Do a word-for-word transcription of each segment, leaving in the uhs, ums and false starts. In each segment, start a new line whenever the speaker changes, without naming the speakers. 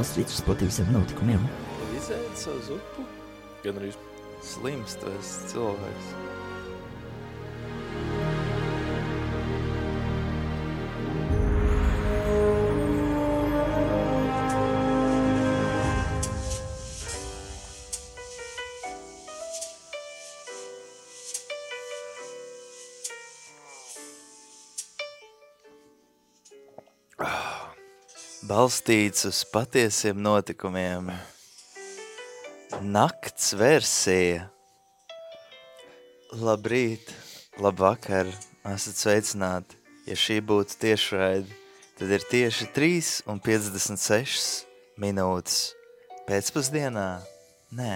balstīts uz patiesiem notikumiem.
Izēd savu zupu? Gan arī
Slims, tu esi cilvēks. Balstīts uz patiesiem notikumiem. Nakts versija. Labrīt, labvakar, esat sveicināti. Ja šī būtu tiešraidi, tad ir tieši trīs un piecdesmit sešas minūtes. Pēcpusdienā? Nē.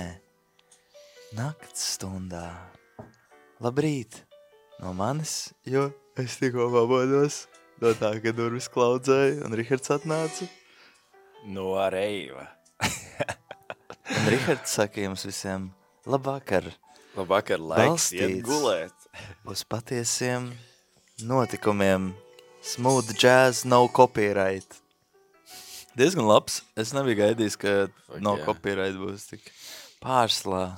Nakts stundā. Labrīt no manis, jo es tikko pamodos. No tā, ka durvis klaudzēja un Rihards atnāca.
no Reiva.
Un Rihards saka jums visiem labvakar.
Labvakar, laiks
Balstīts.
iet gulēt.
Uz patiesiem notikumiem. Smooth jazz, no copyright. Diezgan labs. Es nebiju gaidījis, ka
Fuck
no
jā.
copyright būs tik pārslā.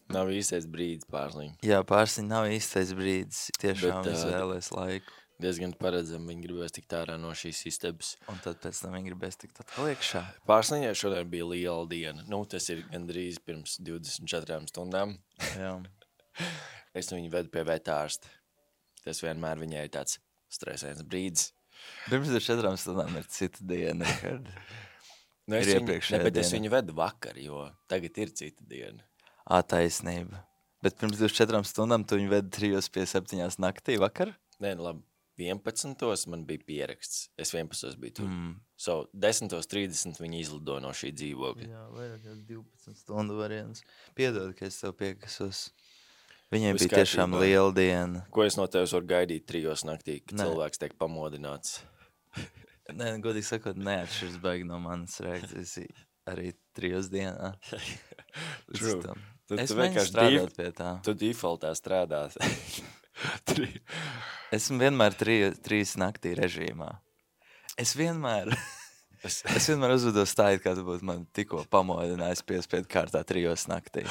Nav īstais brīdis pārsliņ.
Jā, pārsliņ nav īstais brīdis. Tiešām
Bet, ā,
izvēlēs laiku.
Diezgan paredzami, viņi gribēs tikt ārā no šīs istabas.
Un tad pēc tam viņi gribēs tikt atkal iekšā.
Pārsliņai šodien bija liela diena. Nu, tas ir gandrīz pirms divdesmit četrām stundām.
Jā.
Es viņu vedu pie vetārsta. Tas vienmēr viņai ir tāds stresēns brīdis.
Pirms ar četrām stundām ir cita diena, Richard.
Nu, es
Ir
viņu,
iepriekšējā
ne, bet es
diena.
viņu vedu vakar, jo tagad ir cita diena.
Ā, taisnība. Bet pirms divdesmit četrām stundām tu viņu vedi trijos pie septiņās naktī vakar?
Nē, nu labi, vienpadsmitos man bija pieraksts. Es vienpadsmitos biju tur.
Mm.
So, desmit trīsdesmit viņi izlido no šī dzīvokļa.
Jā, vairāk kā divpadsmit stundu variants. Piedod, ka es tev piekasos. Viņai
Viss
bija tiešām
kārtībā.
liela diena.
Ko es no tevis varu gaidīt trijos naktī, kad
Nē.
cilvēks tiek pamodināts?
Nē, godīgi sakot, neatšķirs baigi no manas reakcijas arī trijos dienā. Līdz
True.
tam.
Tad
Es
tu
mēģinu
vienkārši
strādāt
dif-
pie tā.
Tu defaultā strādās. Tri-
Esmu vienmēr tri, trīs naktī režīmā. Es vienmēr,
es,
es vienmēr uzvedos tā, it kā tu būtu man tikko pamodinājis piespiedu kārtā trijos naktī.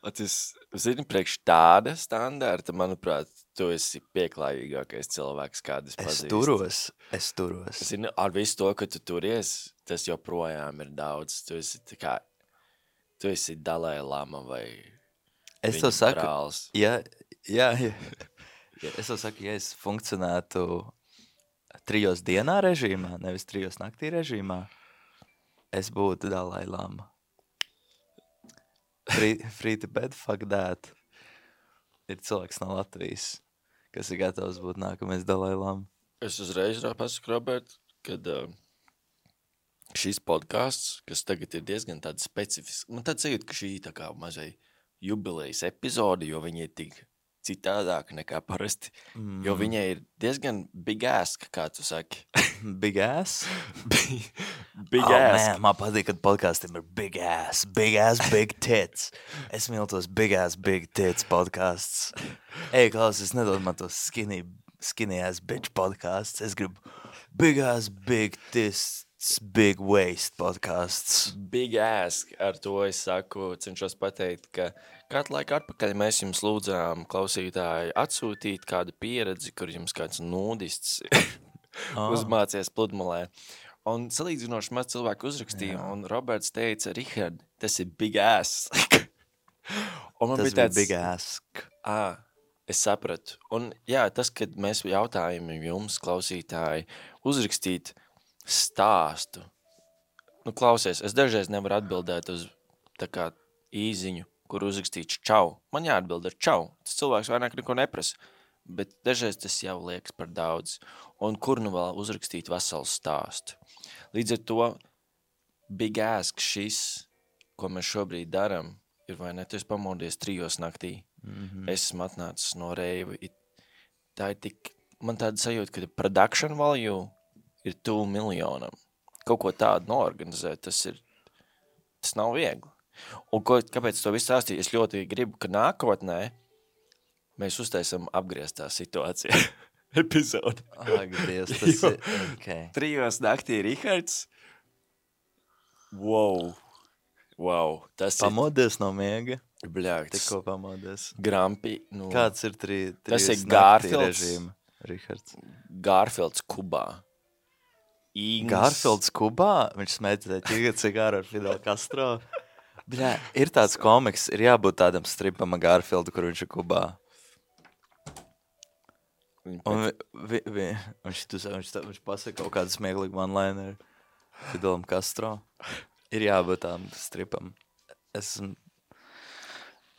tas, zini, priekš tāda standarta, manuprāt, tu esi pieklājīgākais cilvēks, kādu es
Es
pazīstu.
turos, es turos.
Zini, ar visu to, ka tu turies, tas joprojām ir daudz. Tu esi tā kā, tu esi Dalai Lama vai
Es
viņa
tev saku,
brālis.
ja, jā, jā. Ja, es tev saku, ja es funkcionētu trijos dienā režīmā, nevis trijos naktī režīmā, es būtu Dalai Lama. Free, free to bed, fuck that. Ir cilvēks no Latvijas, kas ir gatavs būt nākamais Dalai Lama.
Es uzreiz rā pasaku, Robert, kad uh, šis podcasts, kas tagad ir diezgan tāds specifisks, man tāds sajūt, ka šī tā kā mazai jubilejas epizode, jo viņi ir tik citādāk nekā parasti, mm. jo viņai ir diezgan big ass, kā tu saki.
Big ass?
big
Oh,
ass.
man, man patīk, kad podkastiem ir big ass, big ass, big tits. Es mīlu tos big ass, big tits podcasts. Ej, Klaus, es nedod man tos skinny, skinny ass bitch podcasts. Es gribu big ass, big tits, big waist podcasts.
Big ass, ar to es saku, cenšos pateikt, ka kādu laiku atpakaļ mēs jums lūdzām klausītāji atsūtīt kādu pieredzi, kur jums kāds nūdists
Ah.
uzmācies pludmalē. Un salīdzinoši maz cilvēku uzrakstīja,
Jā.
un Roberts teica, Richard, tas ir big ass. un man
Tas
bija
bija
tāds,
big ass.
ā, es sapratu. Un jā, tas, kad mēs jautājam jums, klausītāji, uzrakstīt stāstu. Nu, klausies, es dažreiz nevaru atbildēt uz tā kā īziņu, kur uzrakstīts čau. Man jāatbild ar čau. Tas cilvēks vairāk neko neprasa. Bet dažreiz tas jau liekas par daudz. Un kur nu vēl uzrakstīt veselu stāstu. Līdz ar to big ask šis, ko mēs šobrīd daram, ir vai ne, tu esi pamodies trijos naktī.
Mm-hmm.
Es esmu atnācis no Reiva. It- Tā ir tik, man tāda sajūta, ka production value ir tuvu miljonam. Kaut ko tādu noorganizēt, tas ir, tas nav viegli. Un ko, kāpēc to visu stāstīju? Es ļoti gribu, ka nākotnē mēs uztaisam apgrieztā situācija epizodi.
Ak, Dievs, tas
Jo.
ir, okay.
Trijos naktī Rihards, Wow. Wow. Tas
Pamodies no miega.
ir, bļāks,
Tikko pamodies.
Grampi. Nu,
Kāds ir trī,
Tas
trīs
ir
naktī
Garfields.
režīma, Rihards?
Garfields Kubā. Ings.
Garfields Kubā? Viņš smēķē ķiga cigāru ar Fidel Castro. Bļā, ir tāds komiks, ir jābūt tādam stripam ar Garfieldu, kur viņš ir Kubā. Un vi, vi, vi, viņš, tu, viņš, viņš pasaka kaut kādu smieglīgu one-lineru Fidelam Castro. Ir jābūt tādam stripam. Es,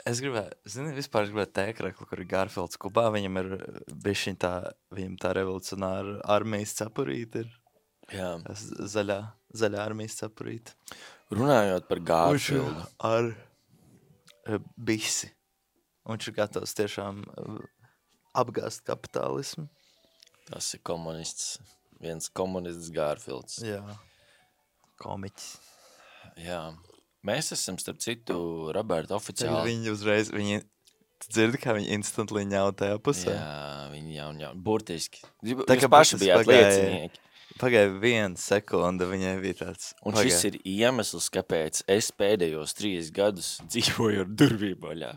es gribēju, zini, vispār es gribēju tēkrekli, kur ir Garfields Kubā. Viņam ir bišķiņ tā, viņam tā revolucionāra armijas cepurīte ir.
Jā.
Zaļā, zaļā armijas cepurīte.
Runājot par Garfieldu.
Ar uh, bisi. Un viņš ir gatavs tiešām uh, apgāst kapitālismu.
Tas ir komunists. Viens komunists Garfields.
Jā. Komiķis.
Jā. Mēs esam, starp citu, Roberta
Tagad
oficiāli.
viņi uzreiz, viņi, tu dzirdi, kā viņi instantly ņauj tajā pusē?
Jā, viņi jau, jau burtiski. Jūs
Tā kā
paši
burtiski
bijāt
pagāja-
liecinieki.
Pagāja viena sekunda, viņai bija tāds.
Un šis ir iemesls, kāpēc es pēdējos trīs gadus dzīvoju ar durvīm vaļā.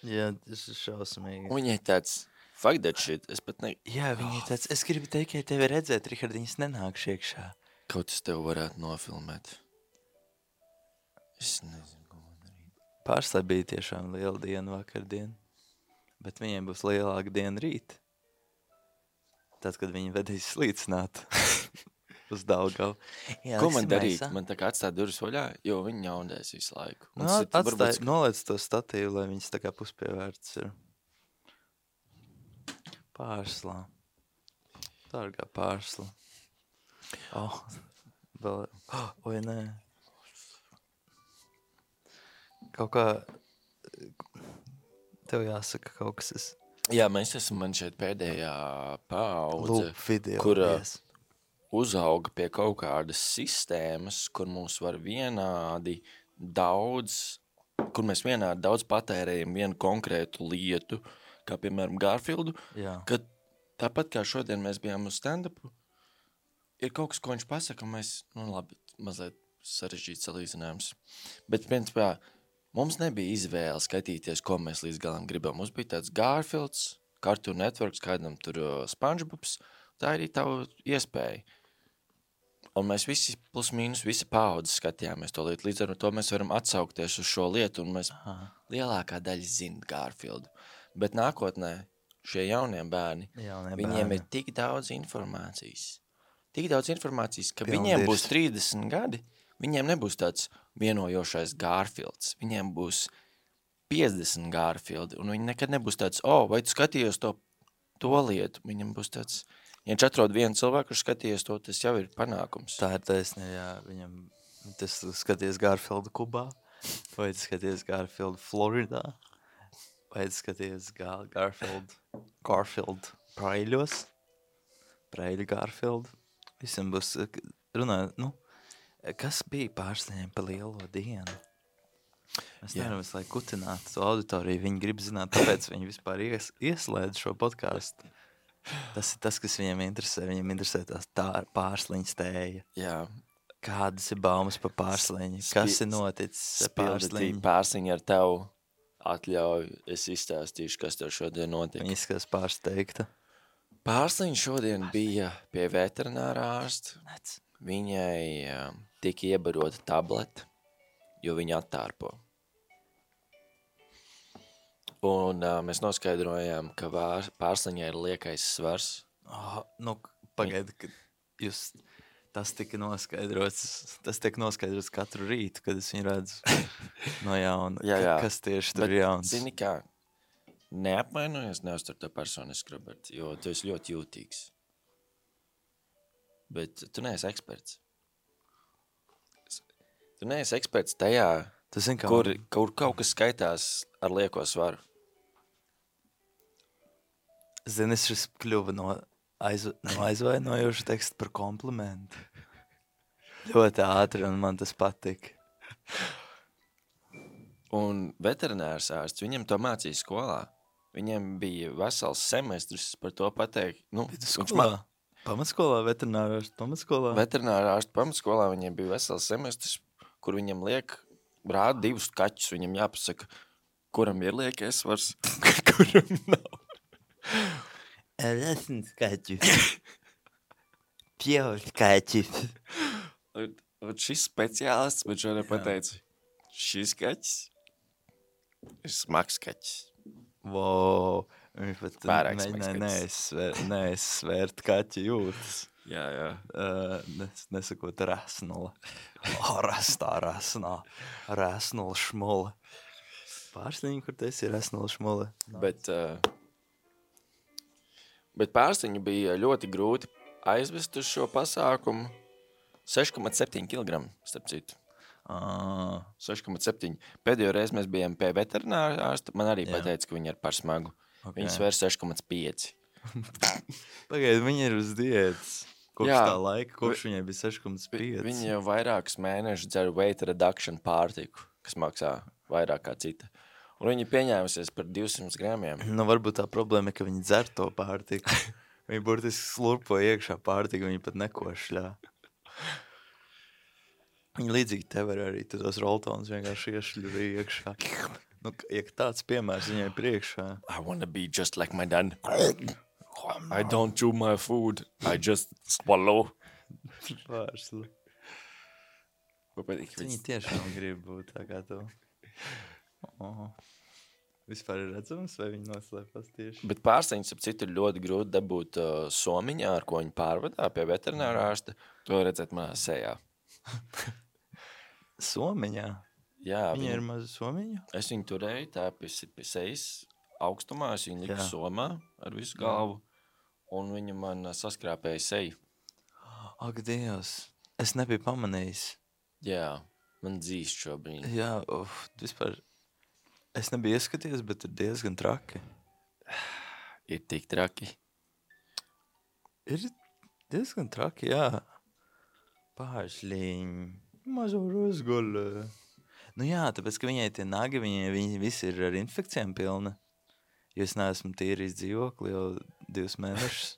Jā, tas ir šausmīgi.
Un viņai tāds, fuck that shit, es pat ne...
Jā, viņi tāds, es gribu teikt, ka tevi redzēt, Richard, viņas nenāk iekšā.
Kaut es tev varētu nofilmēt. Es nezinu, ko man darīt.
Pārslē bija tiešām liela diena vakardien, bet viņiem būs lielāka diena rīt. Tad, kad viņi vedīs slīcināt uz Daugavu. Jā,
Ko man
liksim
darīt?
aizā.
Man tā kā atstāt durvis vaļā, jo viņi ņaundēs visu laiku. Un
Nu,
tas ir-
atstāj,
varbūt-
noliec to statīvu, lai viņas tā kā puspievērts ir. Pārslā. Dārgā pārslā. Oh, vēl, oh, oi, nē. Kaut kā, tev jāsaka kaut kas, es
Jā, mēs esam man šeit pēdējā paudze,
lūp video.
kur ā,
yes.
uzauga pie kaut kādas sistēmas, kur mums var vienādi daudz, kur mēs vienādi daudz patērējam vienu konkrētu lietu, kā piemēram Garfieldu,
Jā.
kad tāpat kā šodien mēs bijām uz stand-upu, ir kaut kas, ko viņš pasaka, un mēs, nu labi, mazliet sarežģīts salīdzinājums. Bet, principā, mums nebija izvēle skatīties, ko mēs līdz galam gribam. Mums bija tāds Garfields, Cartoon Networks, kādam tur uh, SpongeBobs, tā ir arī tava iespēja. Un mēs visi plus mīnus, visi paudzi skatījāmies to lietu. Līdz ar to mēs varam atsaukties uz šo lietu, un mēs
Aha.
lielākā daļa zina Garfieldu. Bet nākotnē šie jaunie bērni,
Jaunie
viņiem
bērni.
ir tik daudz informācijas. Tik daudz informācijas, ka
Pilndirs.
viņiem būs trīsdesmit gadi, viņiem nebūs tāds vienojošais Garfields. Viņiem būs piecdesmit Garfieldi, un viņi nekad nebūs tāds, o, oh, vai tu skatījies to, to lietu? Viņam būs tāds, ja viņš atrod vienu cilvēku, kurš skatījies to, tas jau ir panākums.
Tā ir taisnē, jā, viņam, tas skaties Garfieldu Kubā, vai tu skaties Garfieldu Floridā, vai tu skaties Gar Garfield, Garfield Praiļos, Praiļu Garfieldu. Visam būs, runājot, nu, kas bija pārstāvjiem pa lielo dienu? Mēs
Jā.
nevaram visu laiku kutināt to auditoriju, viņi grib zināt, tāpēc viņi vispār ies, ieslēdz šo podcastu. Tas ir tas, kas viņiem interesē, viņiem interesē tās tā pārsliņas tēja.
Jā,
Kādas ir baumas par pārsliņu?
Spi-
Kas ir noticis ar
spildītī
pārsliņu?
pārsiņu ar tevu atļauju. Es izstāstīšu, kas tev šodien notika.
Viņa izskatās pārsteigta.
Pārsliņa šodien bija pie veterinārā ārsta.
Nec.
Viņai uh, tika iebarota tableta, jo viņa attārpo. Un uh, mēs noskaidrojām, ka vār, pārsliņai ir liekais svars.
Oh, nu, pagaidi, kad jūs, tas tika noskaidrots, tas tiek noskaidrots katru rītu, kad es viņu redzu no jauna.
Jā, jā.
Ka- Kas tieši tur ir jauns?
Zini kā, neapvainojies, neuztur to personiski, Robert, jo tu esi ļoti jūtīgs. Bet tu neesi eksperts. Tu neesi eksperts tajā,
Tu zini, kā
kur, kur kaut kas skaitās ar lieko svaru.
Zini, šis kļuva no, aiz, no aizvainojoša teksta par komplimentu. Ļoti ātri, un man tas patika.
Un veterinārs ārsts, viņam to mācīja skolā. Viņam bija vesels semestris par to pateikt. Nu, viņš
Skolā? Pamatskolā, veterinārā, pamatskolā?
Veterinārā ārsta pamatskolā viņiem bija vesels semestris kur viņam liek, rāda divus kaķus, viņam jāpasaka, kuram ir liekies svars, kuram nav.
Esmu skaķis. Pjauš skaķis.
Un, un šis speciālists man šodien pateica, šis kaķis ir smags kaķis.
Wow. Viņš pat
Pārāk
mēģināja
smags
neaizsvērt, neaizsvērt kaķi jūtas.
Jā, jā.
Uh, nes, nesakot rasnula. Oh, rastā rasnā. Rasnula šmula. Pārsniņi, kur tas ir rasnula šmula.
Bet, uh, bet pārsniņu bija ļoti grūti aizvest uz šo pasākumu. seši komats septiņi kilogramu, starp citu.
Ah.
seši komats septiņi. Pēdējo reizi mēs bijām pie veterināra ārsta. Man arī
Jā.
pateica, ka viņi ir par smagu.
Okay.
Viņi svēr seši komats pieci.
Pagaid, viņi ir uz diētas. Kopš
Jā.
tā laika, kopš viņai bija seši komats pieci.
Viņi jau vairākus mēnešus dzer weight reduction pārtiku, kas maksā vairāk kā cita. Un viņi pieņēmusies par divsimt gramiem.
Nu, varbūt tā problēma ir, ka viņi dzer to pārtiku. Viņi burtiski slurpo iekšā pārtiku, viņi pat nekošļā. Viņi līdzīgi tev var arī tos roltons vienkārši iešļuvi iekšā. Nu, ja tāds piemērs viņai priekšā.
I wanna be just like my dad. I don't chew my food. I just swallow.
Pārsli.
Patīk,
Viņi tiešām grib būt tā kā tu. Oh. Vispār ir redzams, vai viņi noslēpās tieši?
Bet pārsteigums, ap citu, ir ļoti grūti dabūt uh, somiņā, ar ko viņi pārvadā pie veterinārā ārsta. To redzēt manā sejā.
Somiņā?
Jā,
Viņa ir maza somiņa?
Es viņu turēju tā pie, pie sejas augstumā, es viņu liku
Jā.
somā ar visu galvu, un viņa man uh, saskrāpēja seju.
Ak, Dievs, es nebiju pamanījis.
Jā, man dzīst šobrīd.
Jā, uf, vispār, es nebiju ieskaties, bet ir diezgan traki.
Ir tik traki.
Ir diezgan traki, jā. Pāršliņi, mazo rozgolu. Nu jā, tāpēc, ka viņai tie nagi, viņai, viņi visi ir ar infekcijām pilni. Jo es neesmu tīrījis dzīvokli jau divus mēnešus.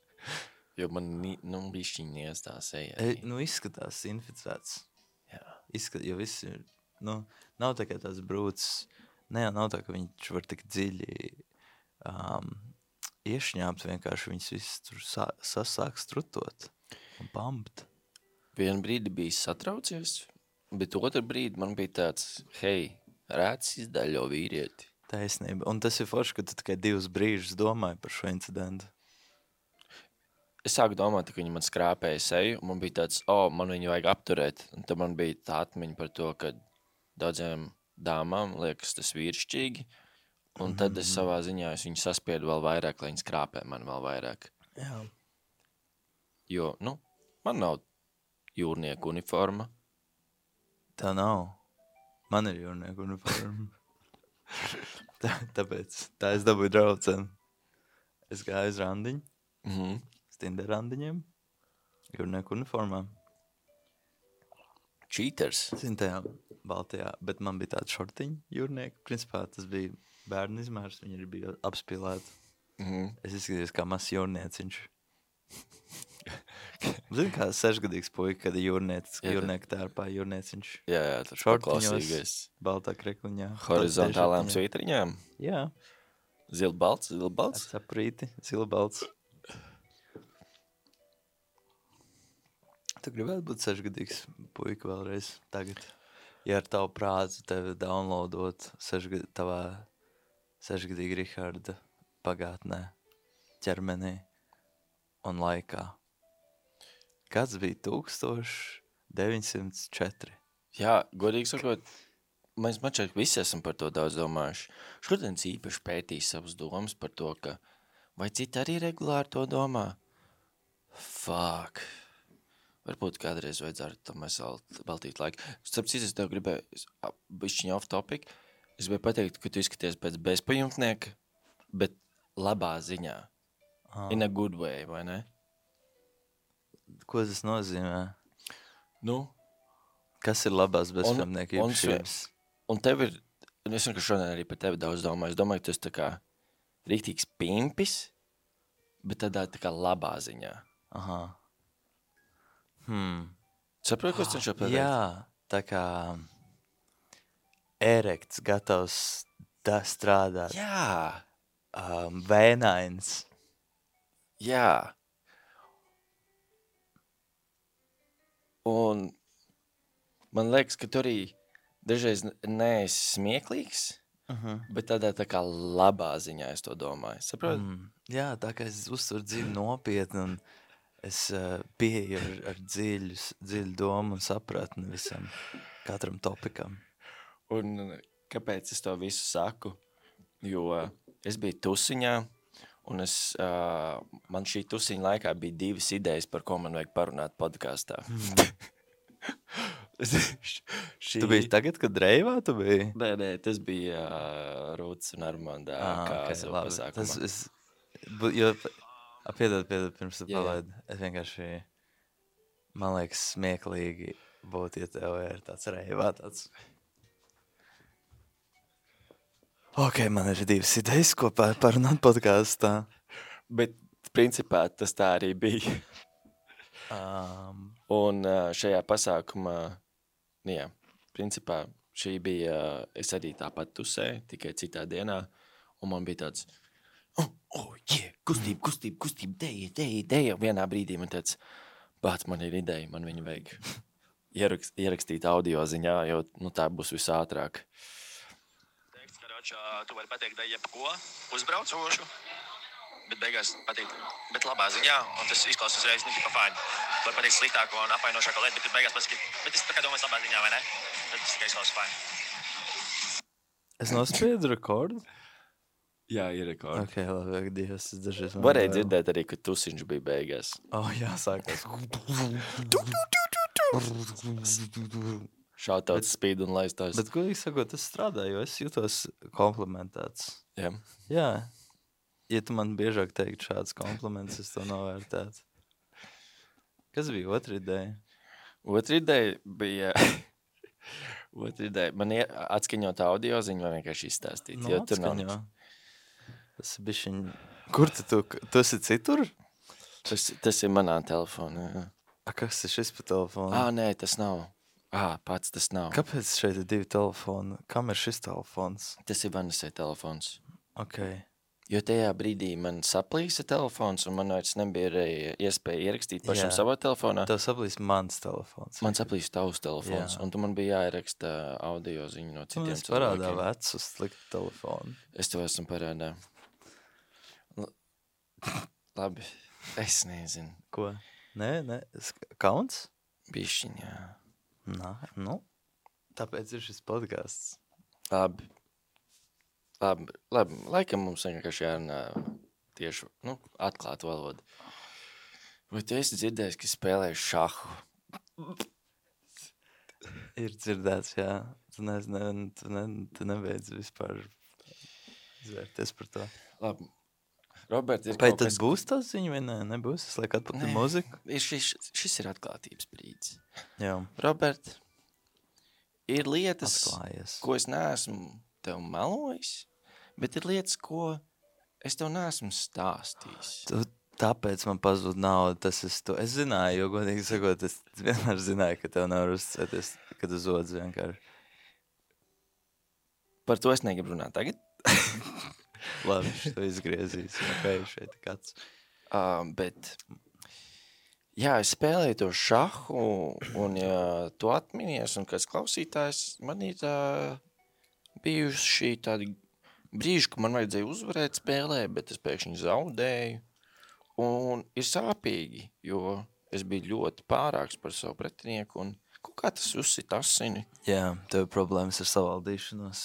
Jo man ni- nu, bišķiņies tā seja.
E, nu, izskatās inficēts.
Jā.
Izskat, jo viss ir, nu, nav tā kā tās brūcis. Ne, nav tā, ka viņš var tik dziļi um, iešņāpt, vienkārši viņas viss tur sā, sasāk strutot un pampt.
Vienu brīdi bija satraucies, bet otru brīdi man bija tāds, hei, rēts izdaļo vīrieti.
Taisnība. Un tas ir forši, ka tu tikai divus brīžus domāji par šo incidentu.
Es sāku domāt, ka viņi man skrāpēja seju, un man bija tāds, o, oh, man viņu vajag apturēt. Un tad man bija tā atmiņa par to, ka daudziem dāmām liekas tas vīrišķīgi, un tad es savā ziņā es viņu saspiedu vēl vairāk, lai viņi skrāpē man vēl vairāk.
Jā.
Jo, nu, man nav jūrnieku uniforma.
Tā nav. Man ir jūrnieku uniforma. tā, tāpēc tā es dabūju drauceni. Es gāju uz randiņu,
Mhm.
Tinder randiņiem, jūrnieku uniformām.
Cheaters.
Zin tajā baltajā, bet man bija tāda šortiņa jūrnieka. Principā tas bija bērnu izmērs, viņi arī bija apspīlēti.
Mhm.
Es izskatījos kā mazs jūrnieciņš. Zini, kā sešgadīgs puika, kad ir jūrniec,
Jā, tā-
jūrnieka tērpā jūrnieciņš.
Jā, jā, tas
Šortiņos,
paklausīgais.
baltā krekliņā.
Horizontālām
Baltajā
svītriņām.
šortiņā. Jā,
Zilbalts,
ar
zilbalts.
saprīti, zilbalts. Tu gribētu būt sešgadīgs puika vēlreiz tagad? Ja ar tavu prātu tevi downloadot sešgad, tavā sešgadīga Riharda pagātnē, ķermenī un laikā. Kāds bija tūkstoš deviņsimt četri?
Jā, godīgi sakot, mēs mačāk visi esam par to daudz domājuši. Šodien īpaši pētīs savas domas par to, ka vai citi arī regulāri to domā? Fuck. Varbūt kādreiz vajadzētu tam mēs veltīt laiku. Starp citu, es tev gribēju, bišķiņ off topic, es gribēju pateikt, ka tu izskaties pēc bezpajumtnieka, bet labā ziņā.
Ah.
In a good way, vai ne?
Ko tas nozīmē?
Nu,
Kas ir labās bezpajumtnieka
un- un
īpašības?
un tev ir, un es vienkārši šodien arī par tevi daudz domāju, es domāju, ka tu esi tā kā rīktīgs pimpis, bet tādā tā kā labā ziņā.
Aha. Hmm.
Saproti, ko es cenšos pateikt?
Jā, tā kā erekts, gatavs da strādāt,
Jā,
um, vēnains.
jā. Un man liekas, ka tu arī dažreiz n- neesi smieklīgs,
Uh-huh.
bet tādā tā kā labā ziņā es to domāju. Saproti?
Mm, jā, tā kā es uzturu dziļi nopietni un es uh, pieeju ar, ar dziļu, s- dziļu domu un sapratni visam, katram topikam.
Un kāpēc es to visu saku? Jo es biju tusiņā, un es, uh, man šī tusiņa laikā bija divas idejas, par ko man vajag parunāt podkāstā. šī...
Tu biji tagad, kad reivā tu biji?
Nē, nē, tas bija uh, Rūts un Armandā
Ah,
kāzu
ok, labi.
pasākumā.
Tas es, bu- jo, a, piedod, piedod, pirms tu
Jā, jā.
palaidi. Es vienkārši, man liekas, smieklīgi būt, ja tev ir tāds reivā, tāds. Ok, man ir divas idejas, ko par- parunāt podkāstā.
Bet principā tas tā arī bija.
Um,
Un uh, šajā pasākumā, nu jā, principā šī bija, uh, es arī tāpat tusēju, tikai citā dienā, un man bija tāds, oh, oh, yeah, kustība, kustība, kustība, deja, deja, deja. Vienā brīdī man tāds, bāc, man ir ideja, man viņu vajag ierakst, ierakstīt audio ziņā, jo, nu, tā būs visātrāk.
Teikts, ka ročā, tu vari pateikt, da jebko uzbraucošu, bet beigās pateikt, bet labā ziņā, un tas izklausās uzreiz, nu, tipa fine. Tu vari pateikt sliktāko un apvainošāko lietu, bet tu beigās pasaki, bet es tā kā domāju labā ziņā, vai ne? Tad tas tikai izklausās fine.
es nospiedu rekordu.
Jā, ir rekords.
Ok, labi, ak, Dievs, es dažreiz... man
Varēja
vēl-
dzirdēt arī, ka tusiņš bija beigās.
Oh, jā, sākās.
Šautauts spīd un laistās.
Bet, godīgi sakot, tas strādā, jo es jūtos komplimentēts.
Jā.
Jā, ja tu man biežāk teikt šāds kompliments, es to novērtētu. Kas bija otra ideja?
Otra ideja bija... Otra ideja. Man ir atskaņot audio ziņu vai vienkārši izstāstīt.
Nu,
jo tur nav
atskaņo.
nekas.
Tas ir bišķiņ... Kur tu, tu, tu esi citur?
Tas, tas ir manā telefonā. jā.
A, kas ir šis pa telefonu?
Ā, nē, tas nav. Ā, pats tas nav.
Kāpēc šeit ir divi telefoni? Kam ir šis telefons?
Tas ir Vanasai telefons.
Ok.
Jo tajā brīdī man saplīsa telefons un man vairs nebija arī iespēja ierakstīt pašam
Jā.
savā telefonā.
Tev saplīs mans telefons.
Man saplīsa tavs telefons,
Jā.
un tu man bija jāieraksta audio ziņu no
Tu
citiem
man esi parādā
cilvēkiem.
vecu sliktu telefonu.
Es tev esmu parādā. L- Labi, es nezinu.
Ko? Nē, nē, sk- kauns?
Bišķiņā.
Nā, nu. Tāpēc ir šis podcasts.
Labi. Labi, labi. Laikam mums vienkārši jārunā tieši, nu, atklāt valodu. Vai tu esi dzirdējis, ka spēlēju šahu?
Ir dzirdēts, jā. Tu, ne, ne, tu, ne, tu nebeidz vispār zvērties par to.
Labi. Robert, ir
Vai
kaut
tad
kas...
būs tas ziņa vai nē? Nebūs? Es lieku atpakaļ
Nē.
muziku.
Ir šis, šis ir atklātības brīdis.
Jā,
Robert, ir lietas,
atklājies.
ko es neesmu tev melojis, bet ir lietas, ko es tev neesmu stāstījis.
Tu, tāpēc man pazūd nauda, tas es to. Es zināju, jo, godīgi sakot, es vienmēr zināju, ka tev nevar uzticēties, kad uz odz vienkārši.
Par to es negribu runāt tagad.
Labi, šo izgriezīs, ok, šeit ir kāds.
Uh, bet, jā, es spēlēju to šahu, un ja tu atminies, un kāds klausītājs, man ir uh, bijuši tādi brīži, ka man vajadzēja uzvarēt spēlē, bet es pēkšņi zaudēju, un ir sāpīgi, jo es biju ļoti pārāks par savu pretinieku, un kaut kā tas uzsit asini.
Jā, tev ir problēmas ar savaldīšanos.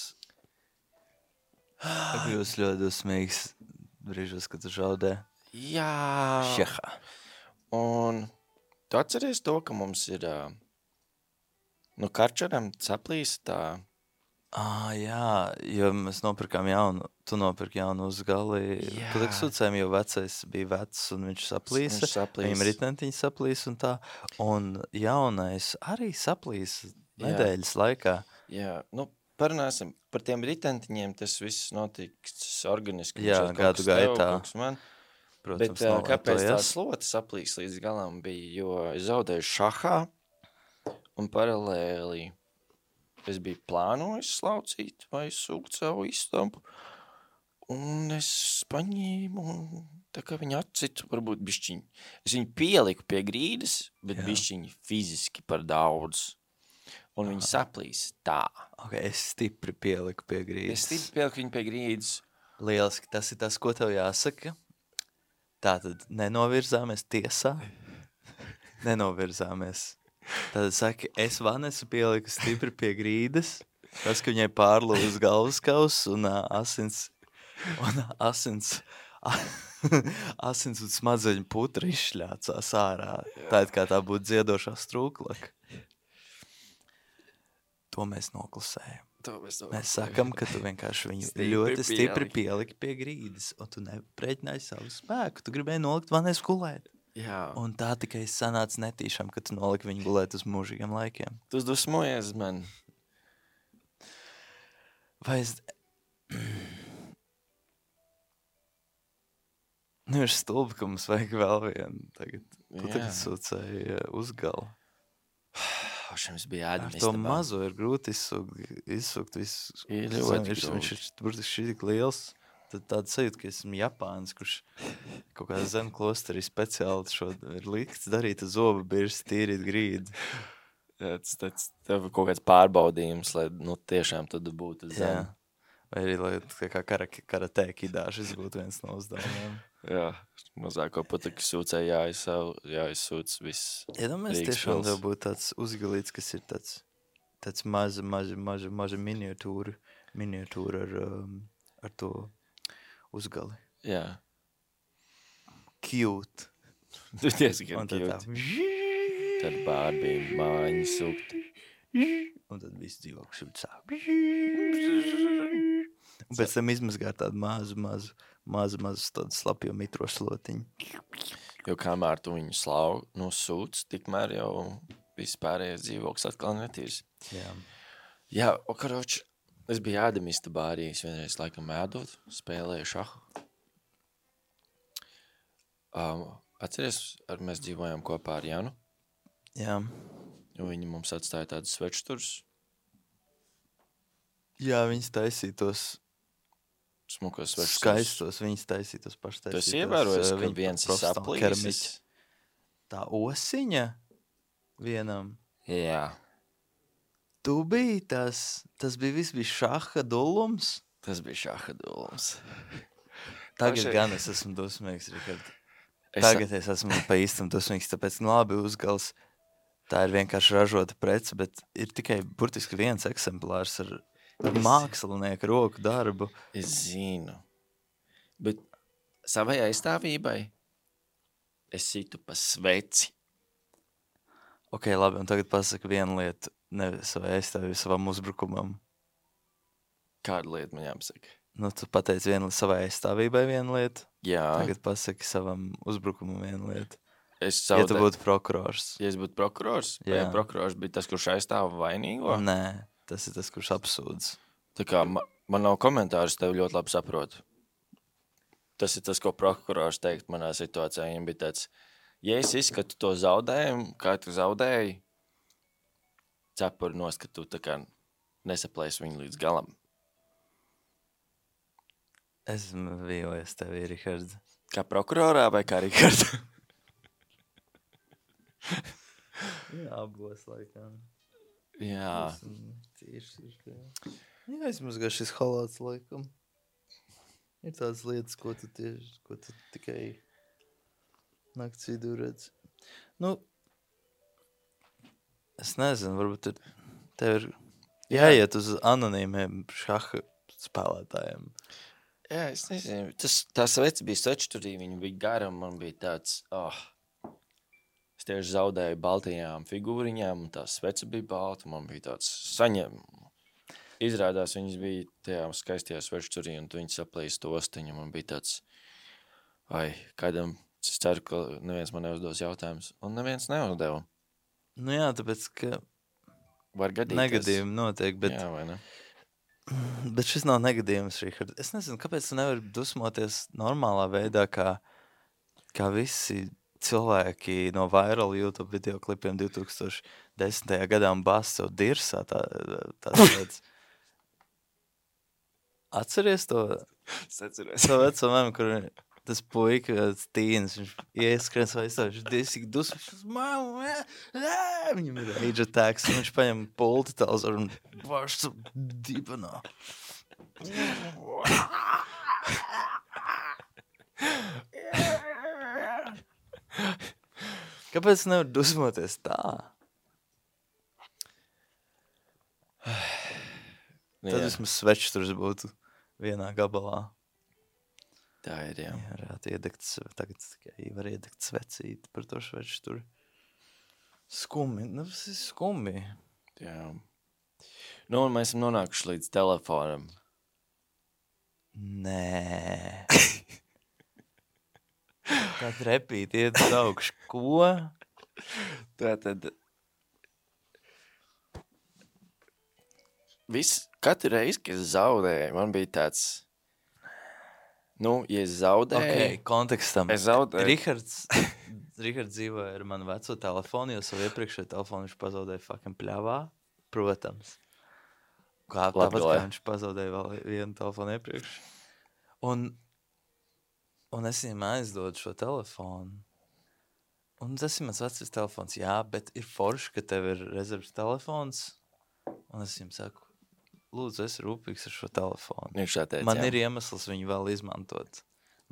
Kļūst ļoti dusmīgs brīžos, kad tu žaudē.
Jā,
Šehā.
un tu atceries to, ka mums ir, uh, nu, karčaram saplīs tā,
Ah, jā, jo mēs nopirkām jaunu, tu nopirki jaunu uzgali.
Jā.
Pliksūcēm, jo vecais bija vecs un viņš saplīsa.
Viņš saplīsa.
Viņam ritentiņi saplīsa un tā. Un jaunais arī saplīsa
Jā.
nedēļas laikā.
jā, nu, parunāsim par tiem ritentiņiem, tas viss notiks organiski.
Jā,
Šeit kaut
gadu
kas tev,
gaitā.
kaut kas Man.
Protams,
Bet uh, kāpēc tā
novērtojas.
slota saplīs līdz galam bija, jo es zaudēju šahā un paralēli es biju plānojis slaucīt vai sūkt savu istabu, un es paņēmu, un tā kā viņa atcitu, varbūt bišķiņi. Es viņu pieliku pie grīdas, bet
Jā.
bišķiņi fiziski par daudz. Un viņa saplīs tā.
Ok, es stipri pieliku pie
Es
grīdas.
stipri pieliku viņu pie grīdas.
Lieliski, tas ir tas, ko tev jāsaka. Tātad nenovirzāmies tiesā. Nenovirzāmies. Tātad saki, es Vanesu pieliku stipri pie grīdas. Tas, ka viņai pārlūz galvaskaus un uh, asins, un asins, asins un smadzeņu putra izšļācās ārā. Tā it kā tā būtu dziedošā strūklaka. To mēs noklusējam.
To mēs,
Mēs sakam, ka tu vienkārši viņu
Stipri
ļoti stipri
pieliki.
pieliki pie grīdas, un tu nepreķināji savu spēku. Tu gribēji nolikt Vanesu gulēt.
Jā.
Un tā tikai sanāca netīšām, ka tu noliki viņu gulēt uz mūžīgiem laikiem.
Tu dusmojies man.
Vai es... Nu, ir stulbi, ka mums vajag vēl vienu tagad. Tu
Jā.
tagad sūcēji uzgalu.
Šim es biju
Ar
ēdam
to mazo ir grūti izsūkt, izsūkt visu.
Ir ļoti
viņš, viņš ir
grūti.
burtiski šī tik liels. Tad tāda sajūta, ka esmu Japāns, kurš kaut kādā zem klosterī speciāli šo ir likts darīt uz zobu birs tīrīt grīdu.
Tas, tas tev ir kaut kāds pārbaudījums, lai nu, tiešām tad būtu
Jā.
zem.
Vai arī, lai tā kā kara, karatē kidāšas būtu viens no uzdevumiem.
Jā, mazāko pataki sūcē jāizsūc viss.
Iedomājies,
Rīgas
tiešām
pils.
tev būtu tāds uzgalīts, kas ir tāds, tāds maza, maza, maza, maza miniatūra, miniatūra ar, um, ar to uzgali.
Jā.
Cute.
Tu diezgan
Un tad tā.
cute. Tad Barbie māņi sūkt.
Un tad viss dzīvoklis ir sāk. Un pēc tam izmazgāt tādu mazu, mazu, mazu, mazu tādu slapjo mitro slotiņu.
Jo kamēr tu viņu slau, nu sūc, tikmēr jau viss pārējais dzīvoklis atkal netīrs.
Jā.
Jā, o karoči, es biju ēdamista bārī, es vienreiz laikam ēdot, spēlēju šahu. Um, atceries, ar mēs dzīvojām kopā ar Janu,
Jā.
jo viņi mums atstāja tādus svečturus,
Jā, viņas taisītos
smukos svečturus.
skaistos, viņas taisītos paštaisītos.
Tu esi ievērojis,
uh,
ka
viņa
viens ir
profesionāli
saplīsis?
keramiķis. Tā osiņa vienam.
Jā,
Tu biji tas, tas bija viss bija šaha dullums.
tas bija šaha dulums.
Tagad
Pašai-
gan es esmu dusmīgs, Rikard.
Es,
Tagad es esmu pa īstam dusmīgs, tāpēc nu labi uzgals. Tā ir vienkārši ražota prece, bet ir tikai burtiski viens eksemplārs ar mākslinieku roku darbu.
es zinu, bet savai aizstāvībai es situ pa sveci.
Ok, labi, un tagad pasaka vienu lietu, ne savai aizstāvībai, savam uzbrukumam.
Kādu lietu man jāpasaka?
Nu, tu pateici vienu savai aizstāvībai vienu lietu,
Jā,
tagad pasaki savam uzbrukumam vienu lietu.
es
Ja tu
zaudēju.
būtu prokurors.
Ja es būtu prokurors, vai
Jā.
prokurors bija tas, kurš aizstāva vainīgo?
Nē, tas ir tas, kurš apsūdz.
Tā kā ma, man nav komentārus, tev ļoti labi saprotu. Tas ir tas, ko prokurors teikt manā situācijā. Viņam bija tāds, ja es izskatu to zaudējumu, kā tu zaudēji, cepuri nost, ka tu tā kā nesaplēsi viņu līdz galam.
Esmu vīlies tevi, Rihards.
Kā prokurorā vai kā Rikards?
Jā, abos laikam.
Jā,
Tieši ir tā. Jā, aizmazgā šis halāts laikam. Ir tādas lietas, ko tu tieši, ko tu tikai nakts vidū redz. Nu, es nezinu, varbūt ir, tev ir jāiet uz anonīmiem šaha spēlētājiem.
jā, es nezinu. Tas, tā sveci bija svečturī, viņa bija gara, un man bija tāds, oh, es tieši zaudēju baltajām figūriņām, un tā svece bija balta, un man bija tāds saņem. Izrādās, viņas bija tajā skaistajā svečturī, un tu viņas saplīst to ostiņu, un man bija tāds, vai, kādam, es ceru, ka neviens man neuzdos jautājumus, un neviens neuzdeva.
Nu jā, tāpēc, ka
Var gadīties.
negadījumi notiek, bet,
Jā, vai ne?
bet šis nav negadījums, Rihard. Es nezinu, kāpēc tu nevari dusmoties normālā veidā, kā, kā visi cilvēki no viral YouTube video klipiem divi tūkstoši desmitajā gadā un bāz sev dirsā. Tā, tā tāds. Atceries to?
Es atceros.
To veco memu, kur tas puika, tas tīns, viņš ieskrien savu izstāvu, viņš disīgi dusmas, viņš mamu, viņam ir age attacks, un viņš paņem pulti televizoru un vārš dibenā. Kāpēc nevar dusmoties tā? Tad vismaz svečturs būtu vienā gabalā.
Tā ir, jā.
Jā, varētu iedegt, tagad tikai var iedegt svecīt par to svečturu. Skumi, nu tas ir skumi.
Jā. Nu, un mēs esam nonākuši līdz telefonam.
Nē. Tātad repīt iet uz augšu. Ko?
Tātad viss, katru reizi, kad es zaudēju, man bija tāds, nu, ja es zaudēju,
Ok, kontekstam.
es zaudēju.
Rihards, Rihards dzīvoja ar manu veco telefonu, jo savu iepriekšējo telefonu viņš pazaudēja fucking pļavā. Protams. Kā, tāpat
Latgalē.
kā viņš pazaudēja vēl vienu telefonu iepriekš. Un, un es viņam aizdodu šo telefonu. Un tas ir mans vecais telefons, jā, bet ir forši, ka tev ir rezerves telefons. Un es viņam saku, lūdzu, es rūpīgs ar šo telefonu.
Viņš tā teica,
Man
jā.
ir iemesls viņu vēl izmantot.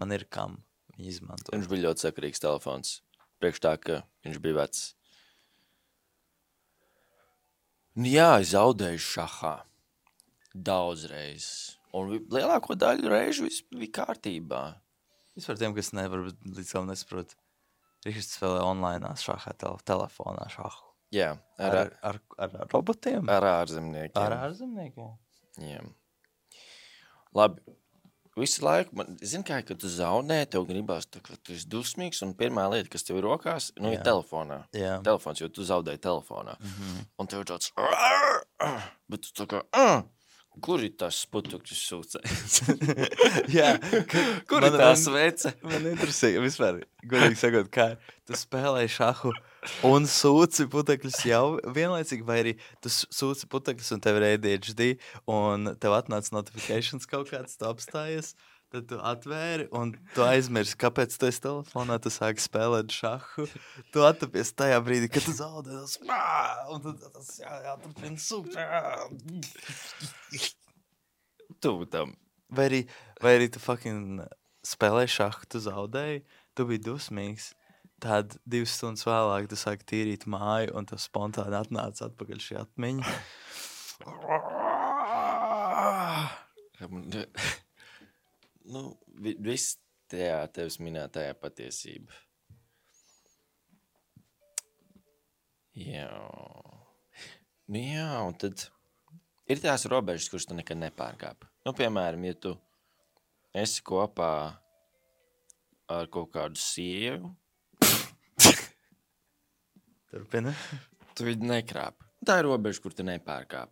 Man ir kam viņu izmantot.
Viņš bija ļoti sakarīgs telefons. Priekš tā, ka viņš bija vecs. Nu jā, es zaudēju šahā. Daudz reizes. Un vi- lielāko daļu reižu viss bija kārtībā.
Vispār tiem, kas nevar līdz galam nesaprot. Rihards spēlē online šahā tele, telefonā šahu.
Jā, ar,
Ar, ar, ar, ar robotiem?
ar ārzemniekiem.
Ar ārzemniekiem?
Jā. Labi. Visu laiku, man, zini kā, kad tu zaudē, tev gribās, tā, ka tu esi dusmīgs, un pirmā lieta, kas tev ir rokās, nu,
Jā.
ir telefonā.
Jā.
Telefons, jo tu zaudēji telefonā.
Mhm.
Un tev ir tāds, bet tu tā kā, kur ir tas putukļus sūcējs?
Jā.
Kur
Man-
ir tā
man-
svece?
Man interesē, vispār, godīgi sakot, kā tu spēlēji šahu un sūci putekļus jau vienlaicīgi, vai arī tu s- sūci putekļus un tev ir A D H D un tev atnāca notifications kaut kāds, tu apstājies, tad tu atvēri un tu aizmirsi, kāpēc tu esi telefonā, tu sāki spēlēt šahu, tu attapies tajā brīdī, kad tu zaudē tas, un tad tas jā, jāturpina sūkt.
Tu tam.
Vai arī, vai arī tu fucking spēlēji šahu, tu zaudēji, tu biji dusmīgs, tad divas stundas vēlāk tu sāki tīrīt māju un tev spontāni atnāca atpakaļ šī atmiņa.
Nu, vi- viss tajā tevis minētajā patiesība. Jā. Nu jā, un tad ir tās robežas, kuras tu nekad nepārkāp. Nu, piemēram, ja tu esi kopā ar kaut kādu sievu,
Turpini.
tu viņu nekrāp. Tā ir robeža, kur tu nepārkāp.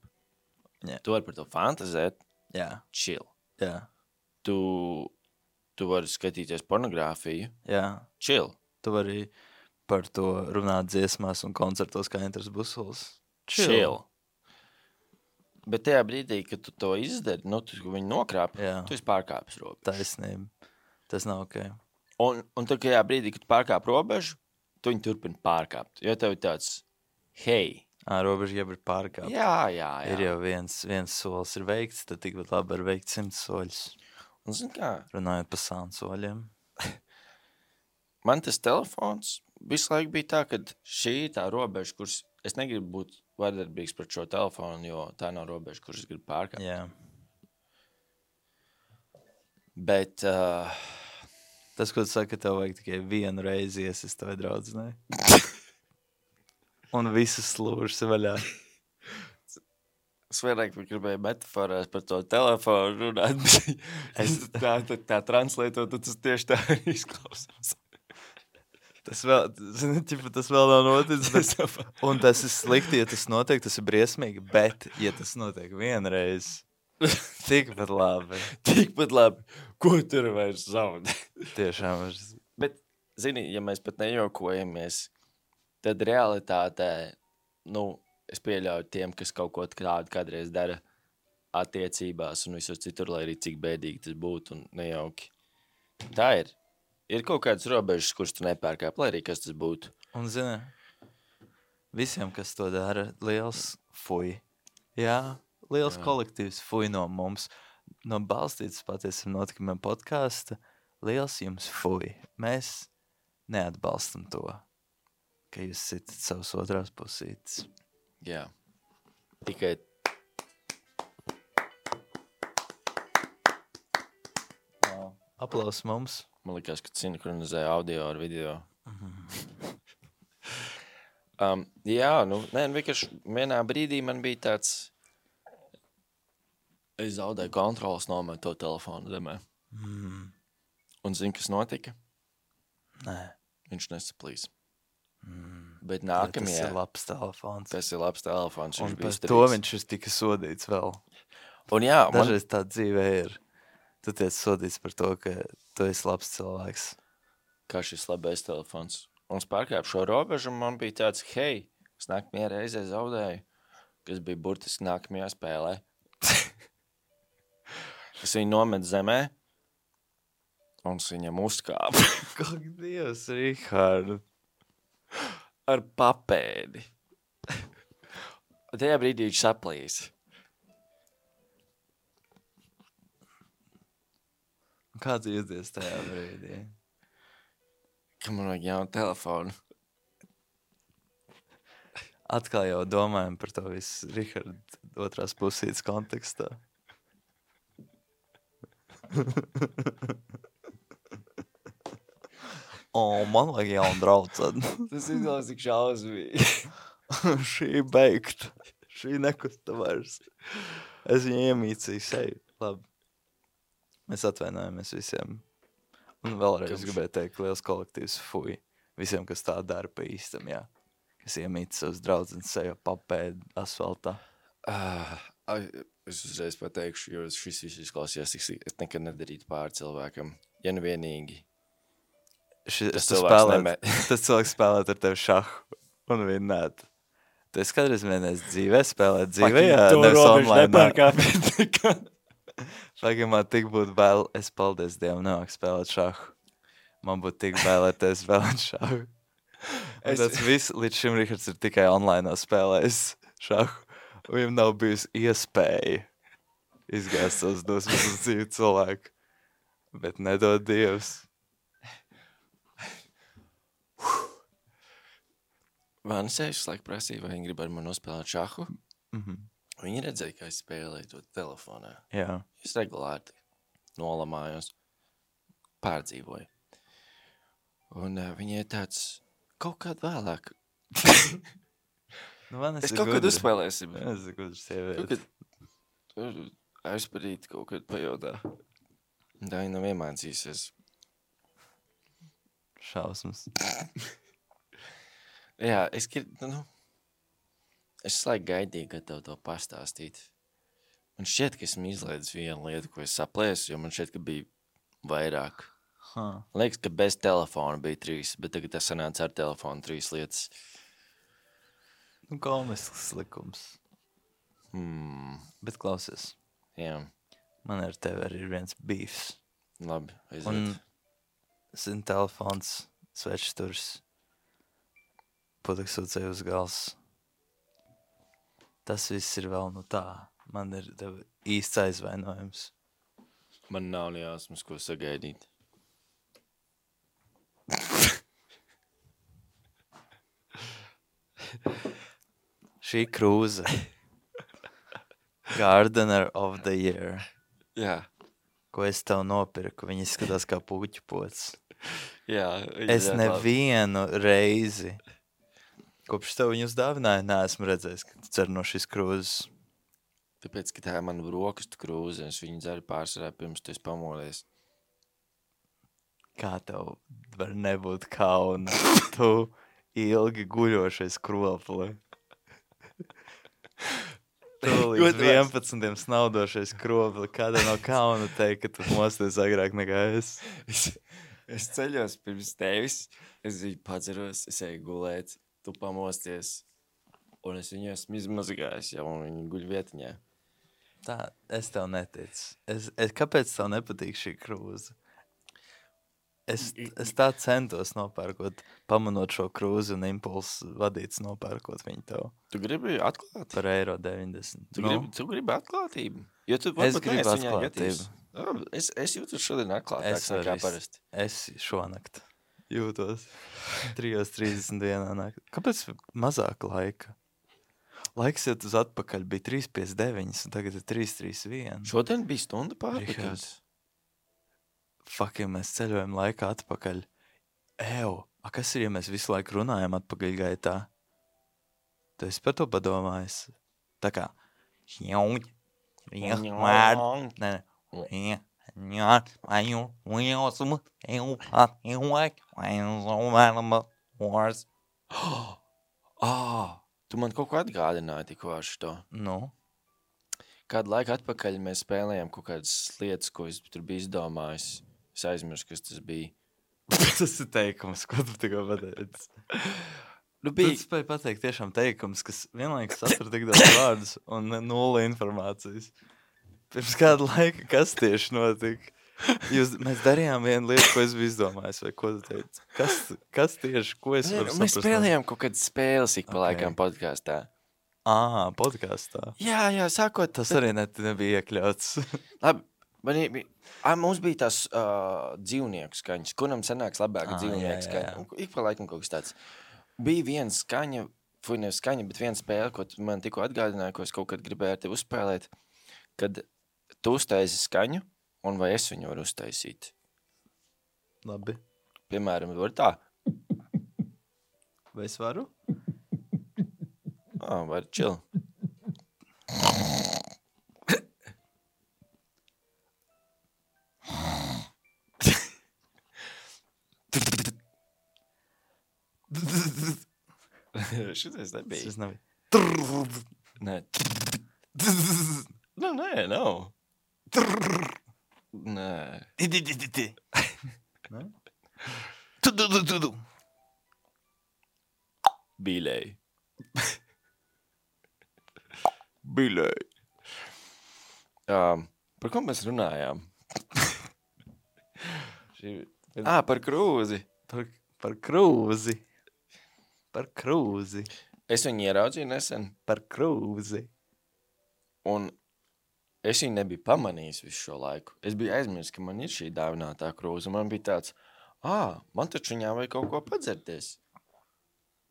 Jā.
Tu vari par to fantazēt,
Jā,
chill.
jā,
Tu, tu vari skatīties pornogrāfiju,
jā.
chill.
Tu vari par to runāt dziesmās un koncertos kā Enters Busuls.
Chill. Bet tajā brīdī, kad tu to izdari, nu, tu viņu nokrāp,
Jā.
tu esi pārkāpis robežu.
Taisnība. Tas nav ok.
Un, un tad, tajā brīdī, kad tu pārkāp robežu, tu viņu turpini pārkāpt. Jo tev ir tāds, hei,
Ā, robeža jau ir pārkāpta.
jā, jā, jā.
Ir jau viens, viens solis ir veikts, tad tikpat labi var veikt simts soļus.
Un zini kā,
Runājot par sānu soļiem.
man tas telefons visu laiku bija tā, ka šī ir tā robeža, kuras es negribu būt vardarbīgs pret šo telefonu, jo tā nav robeža, kuras es gribu pārkāpt.
Jā.
Bet, uh,
Tas, ko tu saki, ka tev vajag tikai vienu reizi iesist tavai draudzenei. Un visas slūžas ir vaļā.
es vairāk gribēju metaforās par to telefonu runāt, bet es tā, tā, tā translētot, tad tas tieši tā arī izklausās.
Tas vēl, zini, ķipa, tas vēl nav noticis. Bet, un tas ir slikti, ja tas notiek, tas ir briesmīgi. Bet, ja tas notiek vienreiz, tikpat labi.
Tikpat labi, ko tur vairs zaudē.
Tiešām. Es...
Bet zini, ja mēs pat nejokojamies, tad realitātē, nu, es pieļauju tiem, kas kaut ko tādu kādreiz dara attiecībās un visur citur, lai arī cik bēdīgi tas būtu un nejauki. Tā ir. Ir kaut kādas robežas, kuras tu nepērkāp, lai arī kas tas būtu.
Un, zini, visiem, kas to dara, liels fuj. Jā, liels Jā. kolektīvs fuj no mums. No balstītas patiesam notikumiem podkāsta, liels jums fuj. Mēs neatbalstam to, ka jūs sitat savus otrās pusītes.
Jā. Tikai
wow. Aplaus mums.
Man likās, ka sinhronizēja audio ar video. Mm-hmm. um, jā, nu, nē, vienkārši vienā brīdī man bija tāds, es zaudēju kontrolas nomet to telefonu zemē.
Mm.
Un zini, kas notika?
Nē.
Viņš nesaplīs.
Mm.
Bet nākamajā...
Tas ir labs telefons.
Tas ir labs telefons.
Un par
to
strīks. Viņš ir tika sodīts vēl.
Un jā, man...
Dažreiz tā dzīvē ir. Tu tiec sodīts par to, ka tu esi labs cilvēks.
Kā šis labais telefons. Un es pārkāpu šo robežu, un man bija tāds, hei, es nākamajā reizē zaudēju, kas bija burtiski nākamajā spēlē. Es viņu nometu zemē, un es viņam uzkāpu.
Kaut Dievs, Rihard.
Ar papēdi. Tajā brīdī viņš saplīs.
Kā tu jūties tajā brīdī?
Ka man vajag jaunu telefonu.
Atkal jau domājam par to visu Rihard otrās pusītes kontekstā. O, man vajag jaunu draudzeni.
Tas izlās tik šausmīgi.
Šī beigta. Šī nekusta vairs. Es viņu iemīcīju seju. Labi. Mēs atvainojamies visiem. Un vēlreiz Kamš... gribēju teikt, liels kolektīvs fuj. Visiem, kas tā dara pa īstam, jā. Kas iemīca savus draudzenes seju papēdi asfaltā.
Uh, es uzreiz pateikšu, jo šis viss izklausījās, es nekad nedarītu pāri cilvēkam. Ja nu vienīgi.
Ši,
tas,
cilvēks spēlēt, neme... tas cilvēks spēlēt ar tevi šahu un vinnēt. Tu esi kādreiz vienreiz dzīvē spēlēt dzīvē, jā, nevis online. Fakam, man tik būtu bail, es paldies Dievam nemāk spēlēt šahu. Man būtu tik bail, lai tevi spēlēt šahu. Es... Tas viss līdz šim Rihards ir tikai online spēlējis šahu. Un viņam nav bijusi iespēja izgāzt savus dosmas uz dzīvi cilvēku. Bet nedod Dievs.
Vanisējuši laik prasīja, vai viņi grib ar mani nospēlēt šahu.
Mm-hmm.
Viņi redzēja, ka es spēlēju to telefonā.
Jā.
Es regulāri nolamājos, pārdzīvoju. Un uh, viņi ir tāds kaut kād vēlāk.
nu, man
es kaut gudri. Kad uzspēlēsim.
Es esmu gudri sievieti.
Kaut kad aizparīt kaut kad pajautā. Tā viņa nav iemācīsies.
Šausmas.
Jā, es, nu, es laiku gaidīju, kad tev to pastāstīt. Man šķiet, ka esmu izlaidis vienu lietu, ko es saplēsu, jo man šķiet, ka bija vairāk.
Huh.
Liekas, ka bez telefona bija trīs, bet tagad tas sanāca ar telefonu trīs lietas.
Nu, komisks likums.
Hmm.
Bet klausies.
Jā.
Man ar tevi arī ir viens beefs.
Labi, aiziet.
Un, zin, telefons, svečsturs. Puteksūcēju uz gals. Tas viss ir vēl nu tā. Man ir tev īsts aizvainojums.
Man nav nejausmas, ko sagaidīt.
Šī krūze. Gardener of the Year.
Jā.
Ko es tev nopirku. Viņi izskatās kā puķu pots.
Jā.
Es nevienu reizi... Kopš tev viņu uzdāvināja, neesmu redzējis, ka tu cer no šīs krūzes.
Tāpēc, ka tā ir mana brokastu krūze, es viņu dzeru pārsvarā pirms tu esi pamodies.
Kā tev var nebūt kauna? Tu ilgi guļošais kropli. Tu līdz vienpadsmitiem snaudošais kropli. Kāda no kauna teikt, ka tu mosties agrāk nekā es?
Es, Es ceļos pirms tevis, es viņu padzeros, es eju gulēt, tu pamosties, un es viņu esmu izmazgājis jau, un viņi guļ vietiņā.
Tā, es tev neticu. Es, es, kāpēc tev nepatīk šī krūze? Es, es tā centos nopērkot, pamanot šo krūzi un impulsu vadīts nopērkot viņu tev
Tu gribi atklāt?
par eiro deviņdesmit.
Tu, gribi, tu gribi atklātību? Jo tu
Es
varbūt
gribu
neesi viņā
atklātību.
juties. Jā, Es, es jūtu šodien atklātāks
Es
nekā
arī s-
parasti.
Es šonakt jūtos trijos trīsdesmit vienā naktī. Kāpēc mazāk laika? Laiks iet uz atpakaļ bija trīs piecdesmit deviņi, un tagad ir trīs trīs viens.
Šodien bija stunda pārpakās.
Rihards. Fucking mēs ceļojam laikā atpakaļ. Ew, a kas ir, ja mēs visu laiku runājam atpakaļ gaitā? Tu esi par to padomājis? Tā kā... Nē, nē.
Ah, tu man kaut ko atgādināji tikko ar šo.
Nu,
Kādu laiku atpakaļ mēs spēlējām kaut kādas lietas, ko es tur biju izdomājis. Es aizmirsu, kas tas bija.
tas ir teikums, ko tu tikko pateici.
Nu,
Tu
bija
spēj pateikt tiešām teikums, kas vienlaikus satur tik daudz vārdus un nulle informācijas. Pirms kāda laika, kas tieši notika? Jūs, mēs darījām vienu lietu, ko es biju izdomājis, vai ko tu teici? Kas, kas tieši, ko es varu
Mēs
saprast?
spēlējām kaut kādas spēles ik pa
Ok.
laikam podkāstā.
Ā, podkāstā.
Jā, jā, sākot.
Tas arī net, nebija iekļauts.
Labi, man ir, bija- Ā, mums bija tās uh, dzīvnieku skaņas, kuram sanāks labāk
Ā, jā,
dzīvnieku
jā,
skaņa.
jā.
Un Ik pa laikam kaut kas tāds. Bija viena skaņa, vai nevis skaņa, bet viena spēle, ko tu man tikko atgādināji, ko es kaut kad gribēju ar tevi uzspēlēt, kad tu uztaisi skaņu, un vai es viņu varu uztaisīt.
Labi.
Piemēram, var tā.
Vai es varu?
Ā, var chill. Šitais nebija.
Tas nebija.
Nē. Nu, nē, nav. Nē.
Ne?
Bīlēji. Bīlēji. Um, par ko mēs runājām? Šī... Ā, par krūzi.
Par, par krūzi. Par krūzi.
Es viņu ieraudzīju nesen,
Par krūzi.
un es viņu nebiju pamanījis visu šo laiku. Es biju aizmirsis, ka man ir šī dāvinātā krūze. Man bija tāds, ā, man taču viņā vajag kaut ko padzerties.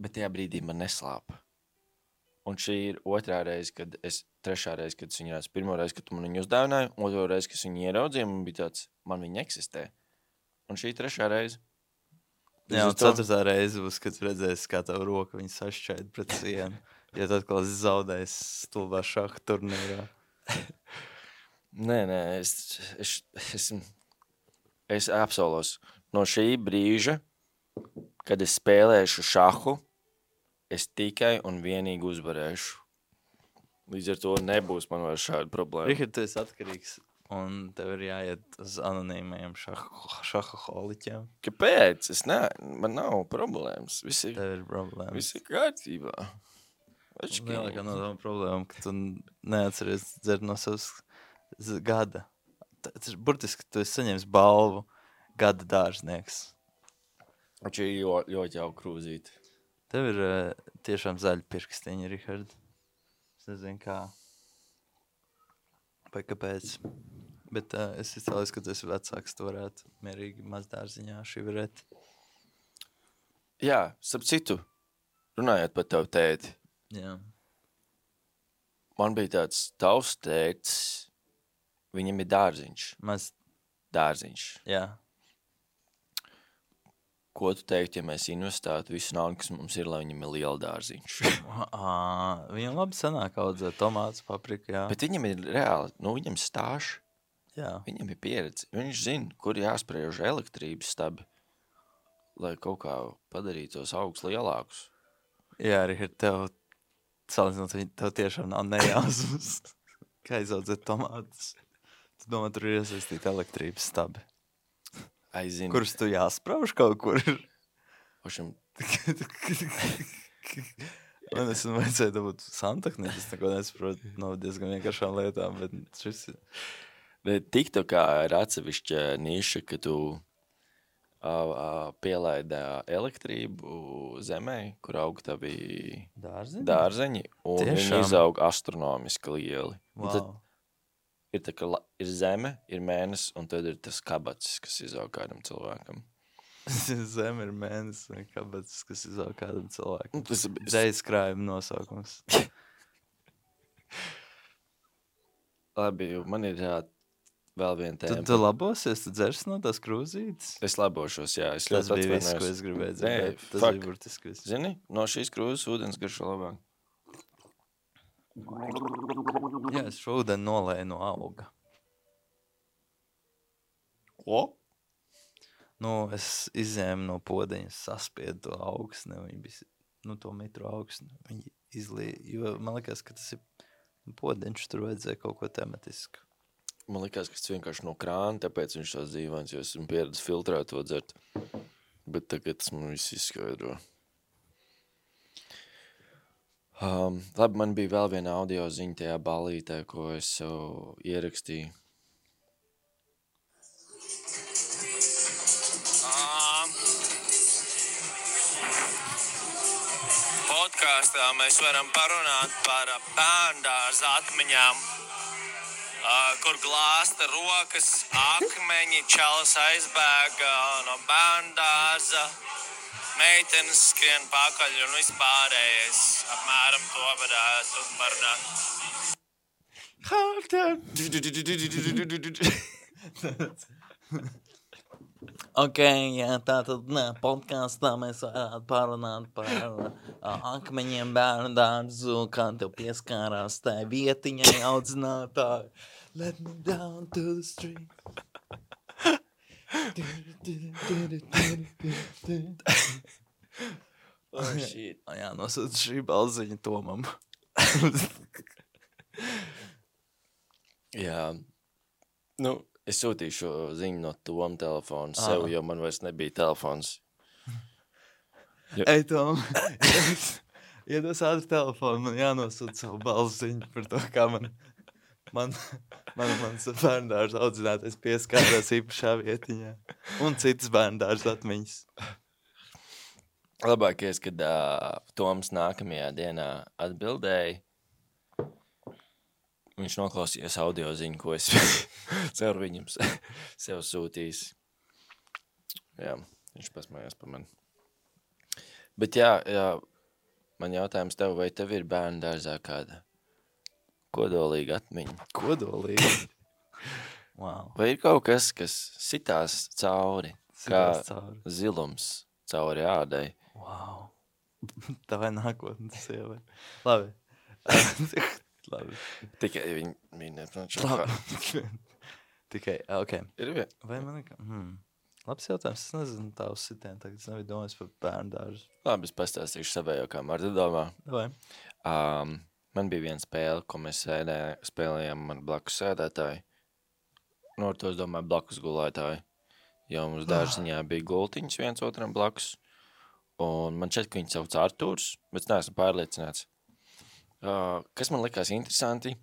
Bet tajā brīdī man neslāpa. Un šī ir otrā reize, kad es, trešā reize, kad es viņu redzu. Pirmo reizi, kad tu man viņu uzdāvināji, otro reizi, kad es viņu ieraudzīju, man bija tāds, man viņa eksistē. Un šī trešā reize.
Jā,
Līdz
un
ar to-
ceturtā reize būs, kad redzēsi, kā tavu roku viņi sašķaid pret sienu. Ja tu atkal zaudēs stulbā šaha turnīrā.
Nē, nē, es, es, es, es apsolos. No šī brīža, kad es spēlēšu šahu, es tikai un vienīgi uzvarēšu. Līdz ar to nebūs man vairs šāda problēma.
Rihard, tu esi atkarīgs, un tev ir jāiet uz anonīmajiem šaha, šaha holiķiem.
Kāpēc? Es ne, man nav problēmas. Viss ir,
Tev ir problēmas.
viss ir kārtībā.
Lielākā no tām problēmām, ka tu neatceries dzert no savas z- gada. Tas ir burtiski, tu esi saņēmis balvu gada dārznieks.
Viņš ir ļoti, ļoti jau krūzīt.
Tev ir uh, tiešām zaļi pirkstiņi, Rihard. Es nezinu, kā. Vai kāpēc. Bet uh, es izcēlos, ka tu esi vecāks, tu varētu mierīgi mazdārziņā šivarēt.
Jā, starp citu, runājot par tavu tēti,
Jā.
man bija tāds tavs tētis, viņam ir dārziņš.
Maz,
Dārziņš.
jā.
Ko tu teiktu, ja mēs investētu visu naudu, kas mums ir, lai viņam ir liela dārziņš?
Ā, viņam labi sanāk audzēt tomātus, papriku, jā.
Bet viņam ir reāli, nu viņam stāž,
Jā.
viņam ir pieredze. Viņš zina, kur jāspriež elektrības stabi, lai kaut kā padarītu tos augus lielākus.
Jā, Rihard, tev, salīdzinot, viņ- tev tiešām nav nejausmas. Kā izaudzēt tomātus? Tu domā, tur ir iesaistīta elektrības stabi.
Aizinu.
Kurus tu jāsprauž kaut kur?
Pašam,
Man es vajadzēja dabūt santakni, es neko nesaprotu no diezgan vienkāršām lietām, bet šis ir...
bet TikTokā ir atsevišķa niša, ka tu uh, pielaidi elektrību zemē, kur aug tavi
Dārziņi?
dārzeņi, un viņi
Tiešām?
izaug astronomiski lieli. Un tad
Wow.
ir, tā, ka la- ir zeme, ir mēnesis, un tad ir tas kabacis, kas izaug kādam cilvēkam.
Zem ir mēnesis vai kabatas, kas izaug kādam cilvēkam.
Un Tas ir
Dzējas krājuma nosaukums.
labi, jo man ir jā, vēl viena
Tu,
tēma.
tu labosies, tu dzers no tās krūzītes?
Es labošos, jā. Es
Tas
ļoti
bija viss, ko
atvainojos.
es gribēju
Nē,
dzirdēt. Tas
fuck.
bija burtiski viss.
Zini, no šīs krūzes ūdens garšo labāk.
Jā, es šodien nolēju no auga.
Ko?
Nu, es izņēmu no podeņas, saspiedu to augsni, viņi bija, nu, to metru augsni. Viņi izlīja, jo man liekas, ka tas ir podeņš, tur vajadzēja kaut ko tematisku.
Man likās, ka tas vienkārši no krāna, tāpēc viņš tās dzīvāns, jo esmu pieredzis filtrēt to dzert. Bet tagad tas man viss izskaidro. Um, labi, man bija vēl viena audio ziņa tajā balītē, ko es sev ierakstīju.
Um, podkāstā mēs varam parunāt par ā, bērndārza atmiņām, ā, kur glāsta rokas, akmeņi, čalis aizbēga no bērndārza, meitenes skrien pakaļ un vispārējais. Apmēram to varētu parunāt.
Ok, jā, tātad nē, podkāstā mēs varētu parunāt par uh, akmeņiem bērnu dārzu, kā tev pieskārās tai vietiņai audzinātāji. Let me down to the street.
Oh, shit.
Jā, nosūta šī balziņa Tomam.
Jā. Nu, es sūtīju šo ziņu no Toma telefona sev,
Ā.
jo man vairs nebija telefons.
Ei, Tom, iedos ātri telefonu, man jānosūta savu balziņu par to, kā man, man, man, mans bērndārs audzinātais pieskārās īpašā vietiņā. Un citas bērndārs atmiņas.
Labākais, kad uh, Toms nākamajā dienā atbildēja, viņš noklausījās audio ziņu, ko es caur viņam se- sev sūtījis. Jā, viņš pasmējās par mani. Bet jā, jā, man jautājums tev, vai tev ir bērnu dārzā kāda kodolīga atmiņa?
Kodolīgi. Wow.
Vai ir kaut kas, kas sitās cauri,
Sitās
kā
cauri.
zilums cauri ādai?
Wow. Tā vai nākotnes sievai. Labi. Labi.
Tikai viņi, viņi neprot šo
Labi. Tikai, ok.
Ir vien.
Vai man ir... Hmm. Labs jautājums. Es nezinu tā uz sitien. Tagad es nebiju domājis par bērnu dārzu.
Labi, es pastāstīšu savējo, kā Marta domā.
Vai?
Um, man bija viena spēle, ko mēs sēdē, spēlējām man blakus sēdētāji. Nu, ar to es domāju blakus gulētāji. Jo mums dārziņā bija gultiņas viens otram blakus. Un man šķiet, ka viņi sauc Artūrs, bet es neesmu pārliecināts. Uh, kas man likās interesanti,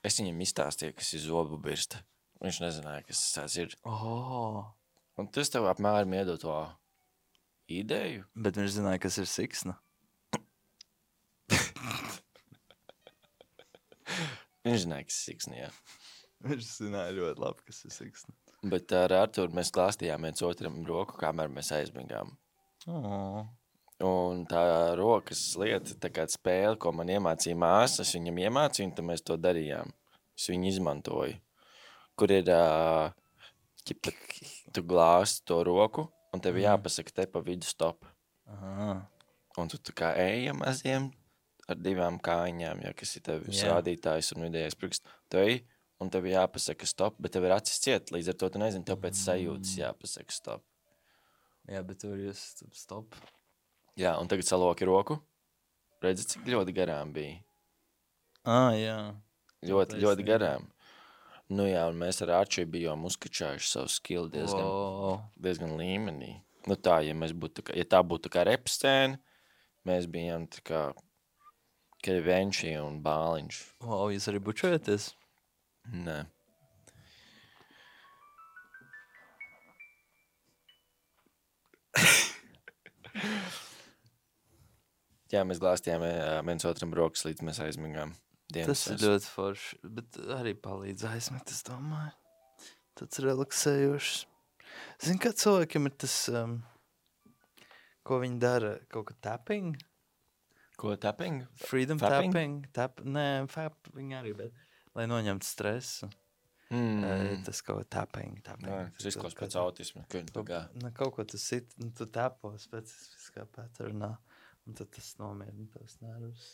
es viņam izstāstīju, kas ir zobu birsta. Viņš nezināja, kas tas ir.
Oh.
Un tas tev apmēram iedod to ideju.
Bet viņš zināja, kas ir siksna.
Viņš zināja, kas ir siksni, jā.
Viņš zināja ļoti labi, kas ir siksna.
Bet ar Artūru mēs klāstījām viens otram roku, kamēr mēs aizmigām.
Oh.
Un tā rokas lieta, tā kā spēle, ko man iemācīja māsa, es viņam iemācīju, un tad mēs to darījām. Es viņu izmantoju. Kur ir, ā, ķipa, tu glāsti to roku, un tev jāpasaka te pa vidu stop.
Aha.
Un tu tā kā ejam maziem ar divām kājiņām, ja, kas ir tev
Jā.
rādītājs un vidējais prikst. Tu ej, un tev jāpasaka stop, bet tev ir acis ciet, līdz ar to tu nezini, tev pēc sajūtas jāpasaka stop.
Jā, bet tur jūs stop.
Jā, un tagad saloki roku. Redzi, cik ļoti garām bija.
Ah, jā.
Ļoti,
taisnība.
ļoti garām. Nu jā, un mēs ar Āču bijām uzkačājuši savu skilu diezgan,
Wow.
diezgan līmenī. Nu tā, ja mēs būtu, tā kā, ja tā būtu tā kā rep scēna, mēs bijām tā kā Kevenči un Bāliņš.
Wow, jūs arī bučojaties?
Nē. Jā, mēs glāstījām ā, viens otram rokas, līdz mēs aizmigām. Dienas
Tas ir ļoti forši, bet arī palīdz aizmigt, es domāju. Tāds relaksējošs. Zini, kā cilvēkiem ir tas, um, ko viņi dara, kaut kā tapping?
Ko, tapping?
Freedom
Fapping?
tapping? Tap, nē, fapping arī, bet lai noņemtu stresu.
Mm.
Mm. Tas kaut kā tapping, tapping.
Nē, tas izklaus
Kaut
pēc
kā-
autisma. Kad, tā kā,
Nu, kaut ko tu sit, nu, tu tapo specifiskā patternā, un tad tas nomierina tavs nervus.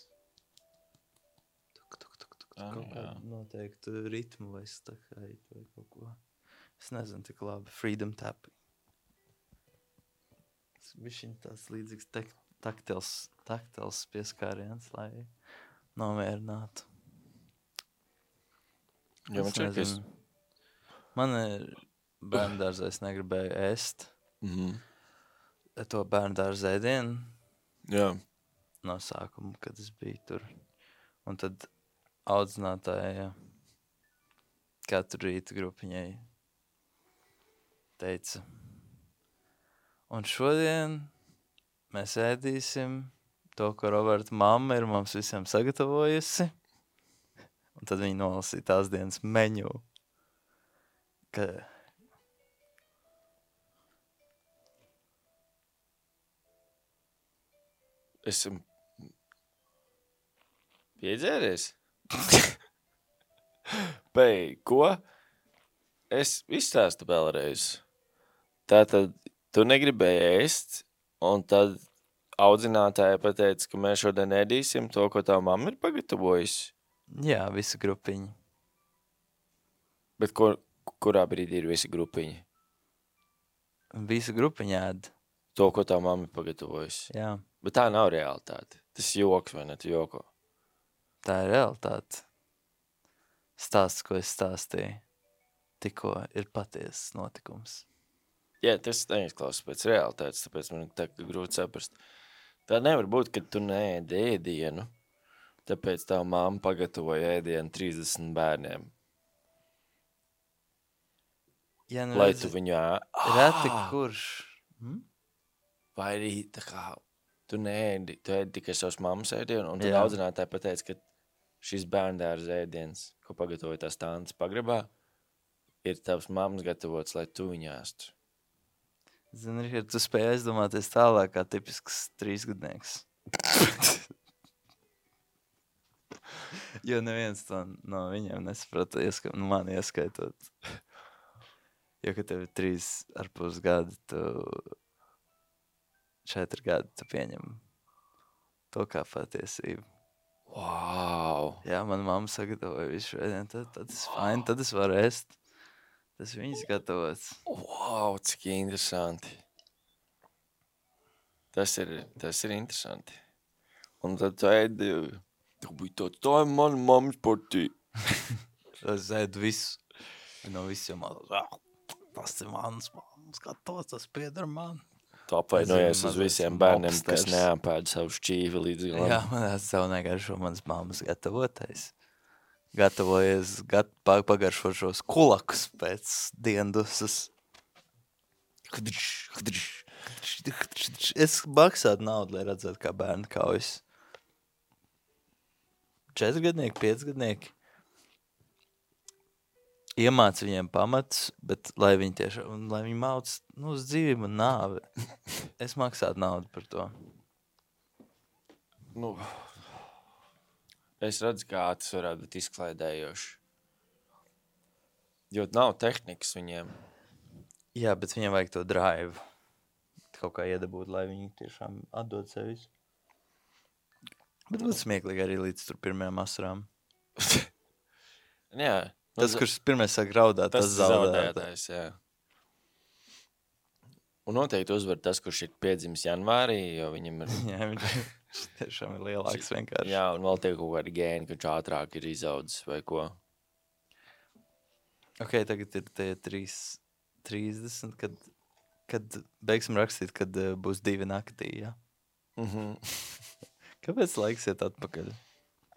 Tuk, tuk, tuk, tuk,
Ah,
kaut
jā.
kādu noteiktu ritmu vai stakaitu vai kaut ko. Es nezinu, tik labi. Freedom tapping. Tas bišķiņ tāds līdzīgs tek, taktils, taktils pieskāriens, lai nomierinātu.
jo man
Es
čak, es...
nezinu. Man ir bērndārzā, es negribēju ēst
Mhm.
to bērndārza ēdienu
Jā.
no sākuma, kad es biju tur. Un tad audzinātāja katru rītu grupiņai teica, un šodien mēs ēdīsim to, ko Roberta mamma ir mums visiem sagatavojusi. Un tad viņi nolasīja tās dienas meņu. Ka...
Esam piedzēries? Pei, ko? Es izstāstu vēlreiz. Tātad tu negribēji ēst, un tad audzinātāja pateica, ka mēs šodien ēdīsim to, ko tā mamma ir pagatavojusi.
Jā, visa grupiņa.
Bet ko, kurā brīdī ir visi grupiņi?
Visa grupiņa ēd.
To, ko tā mamma ir pagatavojusi.
Jā,
Bet tā nav realitāte. Tas ir joks, vai ne? Tu joko.
tā ir realitāte. Stāsts, ko es stāstīju, tikko ir patiesas notikums.
Jā, tas neizklausās pēc realitātes, tāpēc man ir tā kā grūti saprast. Tā nevar būt, ka tu neēdi ēdienu, tāpēc tā mamma pagatavoja ēdienu trīsdesmit bērniem,
Ja, nu
lai
redzi,
tu viņu ā...
Reti
Ā!
kurš. Hm?
Vai arī tā kā tu neēdi, tu ēdi tikai savas mammas ēdienu, un tad
Jā.
audzinātāji pateica, ka šis bērndārza ēdiens, ko pagatavoja tās tantes pagrabā, ir tavs mammas gatavots, lai tu viņu ēstu.
Zini, Richard, tu spēj aizdomāties tālāk kā tipisks trīsgadnieks. Jo neviens to no viņiem nesaprata, ieska, nu, man ieskaitot. Jo, ka tev ir trīs ar pus gadi, tu četri gadi, tu pieņem to kā patiesību.
Wow!
Jā, man mamma sagatavoja visu šodien, tad, tad es fine, tad es varu ēst. Tas viņas gatavots.
Wow, cik interesanti. Tas ir, tas ir interesanti. Un tad tu ēdi, tu bija tāds, tā ir mana mammas partija.
Es ēdu visu. No visiem man, tas ir mans mammas gatavs, tas pieder man.
Tu apvainojies
Nezinu,
uz
mazais
visiem bērniem, kas
mobsters.
neapēd savu šķīvi līdz galam.
Jā, man tas savu negaršo mans mammas gatavotais. Gatavojies, gat, pa- pagaršo šos kulakus pēc diendusas. Es maksātu naudu, lai redzētu, kā bērni kaujas. Četrgadnieki, piecgadnieki. Iemāc viņiem pamats, bet lai viņi tiešām, un lai viņi māc, nu, uz dzīvību un nāvi. Es maksātu naudu par to.
Nu, es redzu, kā tas varētu būt izklaidējoši. Jo nav tehnikas viņiem.
Jā, bet viņiem vajag to drive. Kaut kā iedabūt, lai viņi tiešām atdod sevis. Bet būtu smieklīgi arī līdz tur pirmajām asarām.
Jā.
Tas,
nu,
kurš pirmais sāk raudāt, tas,
tas
tas zaudē.
zaudētājs, jā. Un noteikti uzvar tas, kurš ir piedzimis janvārī, jo viņam ir...
Jā, viņš viņš tiešām ir lielāks vienkārši.
Jā, un vēl tiek kaut kādi gēni, ka viņš ātrāk ir izaudzis vai ko.
Ok, tagad ir tie trīs, trīsdesmit, kad, kad beigsim rakstīt, kad uh, būs divi naktī, jā?
Mhm.
Kāpēc laiks iet atpakaļ?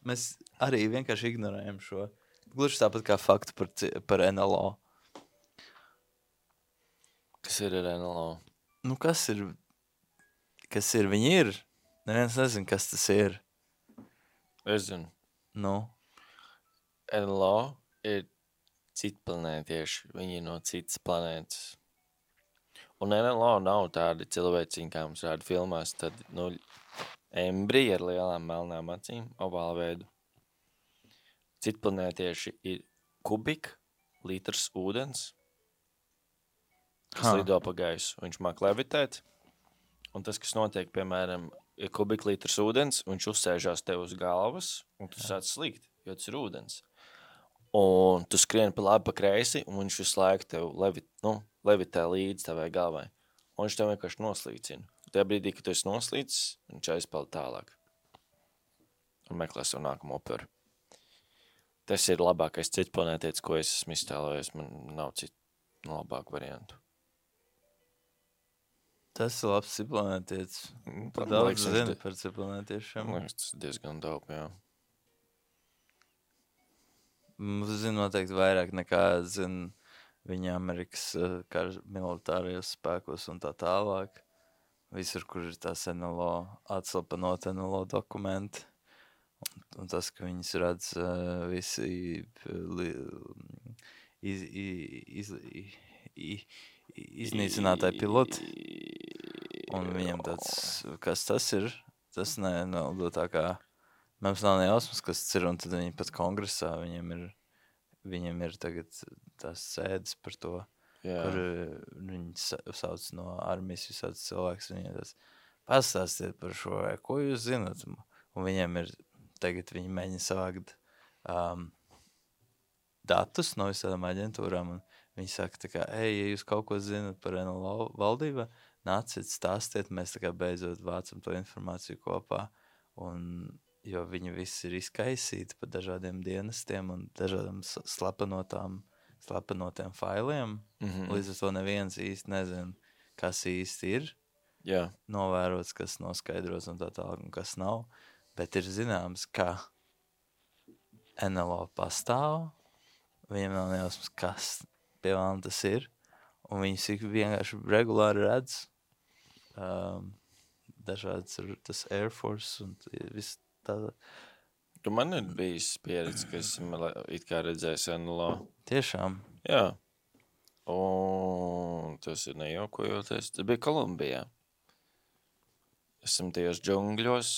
Mēs arī vienkārši ignorējam šo. Gluži tāpat kā faktu par, ci- par N L O.
Kas ir ar N L O?
Nu, kas ir? Kas ir? Viņi ir. Neviens nezin, kas tas ir.
Es zinu.
Nu,
N L O ir citplanētieši. Viņi ir no citas planētas. Un N L O nav tādi cilvēciņi, kā mums rāda filmās. Tad, nu, embriji ar lielām melnām acīm, ovāla veidu. Citplanētieši ir kubik, litrs ūdens, kas
Ha.
lido pa gaisu. Viņš māk levitēt. Un tas, kas notiek, piemēram, ir kubik litrs ūdens, un viņš uzsēžās tev uz galvas, un tu sāc slīgt, jo tas ir ūdens. Un tu skrieni pa labi, pa kreisi, un viņš visu laiku tev levit, nu, levitē līdz tavai galvai. Un viņš tev vienkārši noslīcina. Tajā brīdī, kad tu esi noslīcis, viņš aizpeld tālāk. Un meklē savu nākamo operu. Tas ir labākais citplanētietis, ko es esmu iztēlojies. Man nav citu labāku variantu.
tas ir labs ciplanētietis.
Man
Tu
liekas,
daudz
viņš
zini
di-
par ciplanētiešiem.
Man liekas, tas ir diezgan dope, jā.
Mums zina noteikti vairāk nekā zina viņa Amerikas uh, kar militārajos spēkos un tā tālāk. Visur, kur ir tās N L O, atslapanot N L O dokumenti. Un, un tas, ka viņas redz uh, visi li, iz, iz, iz, iz, iznīcinātāji piloti. Un viņam tāds, kas tas ir, tas ne, nav tā kā, mums nav nejausmas, kas tas ir, un tad viņi pat kongresā, viņiem ir, viņiem ir tagad tās sēdes par to,
jā.
kur uh, viņi sa- sauc no armijas visāds cilvēks, viņiem tas, pastāstiet par šo, vai ko jūs zinat, un viņiem ir, tagad viņi mēģina savākt um, datus no visādām aģentūrām, un viņi saka tā kā, ej, ja jūs kaut ko zinat par N L O valdībā, nāciet, stāstiet, mēs tā kā beidzot vācam to informāciju kopā, un, jo viņi visi ir izkaisīti pa dažādiem dienestiem un dažādām s- slapenotām, slapenotiem failiem,
Mhm.
līdz ar to neviens īsti nezin, kas īsti ir
Jā.
novērots, kas noskaidrots un tā tālāk, un kas nav, bet ir zināms, ka N L O pastāv, viņam nav nejausmas, kas pie vēlam tas ir, un viņus ik vienkārši regulāri redz, um, dažādas ir tas Air Force un t- viss tā,
Tu man ir bijis pieredze, ka esmu le- it kā redzējis N L O.
tiešām,
Jā. Un tas ir nejaukojoties. Tas bija Kolumbijā. Esam tajos džungļos.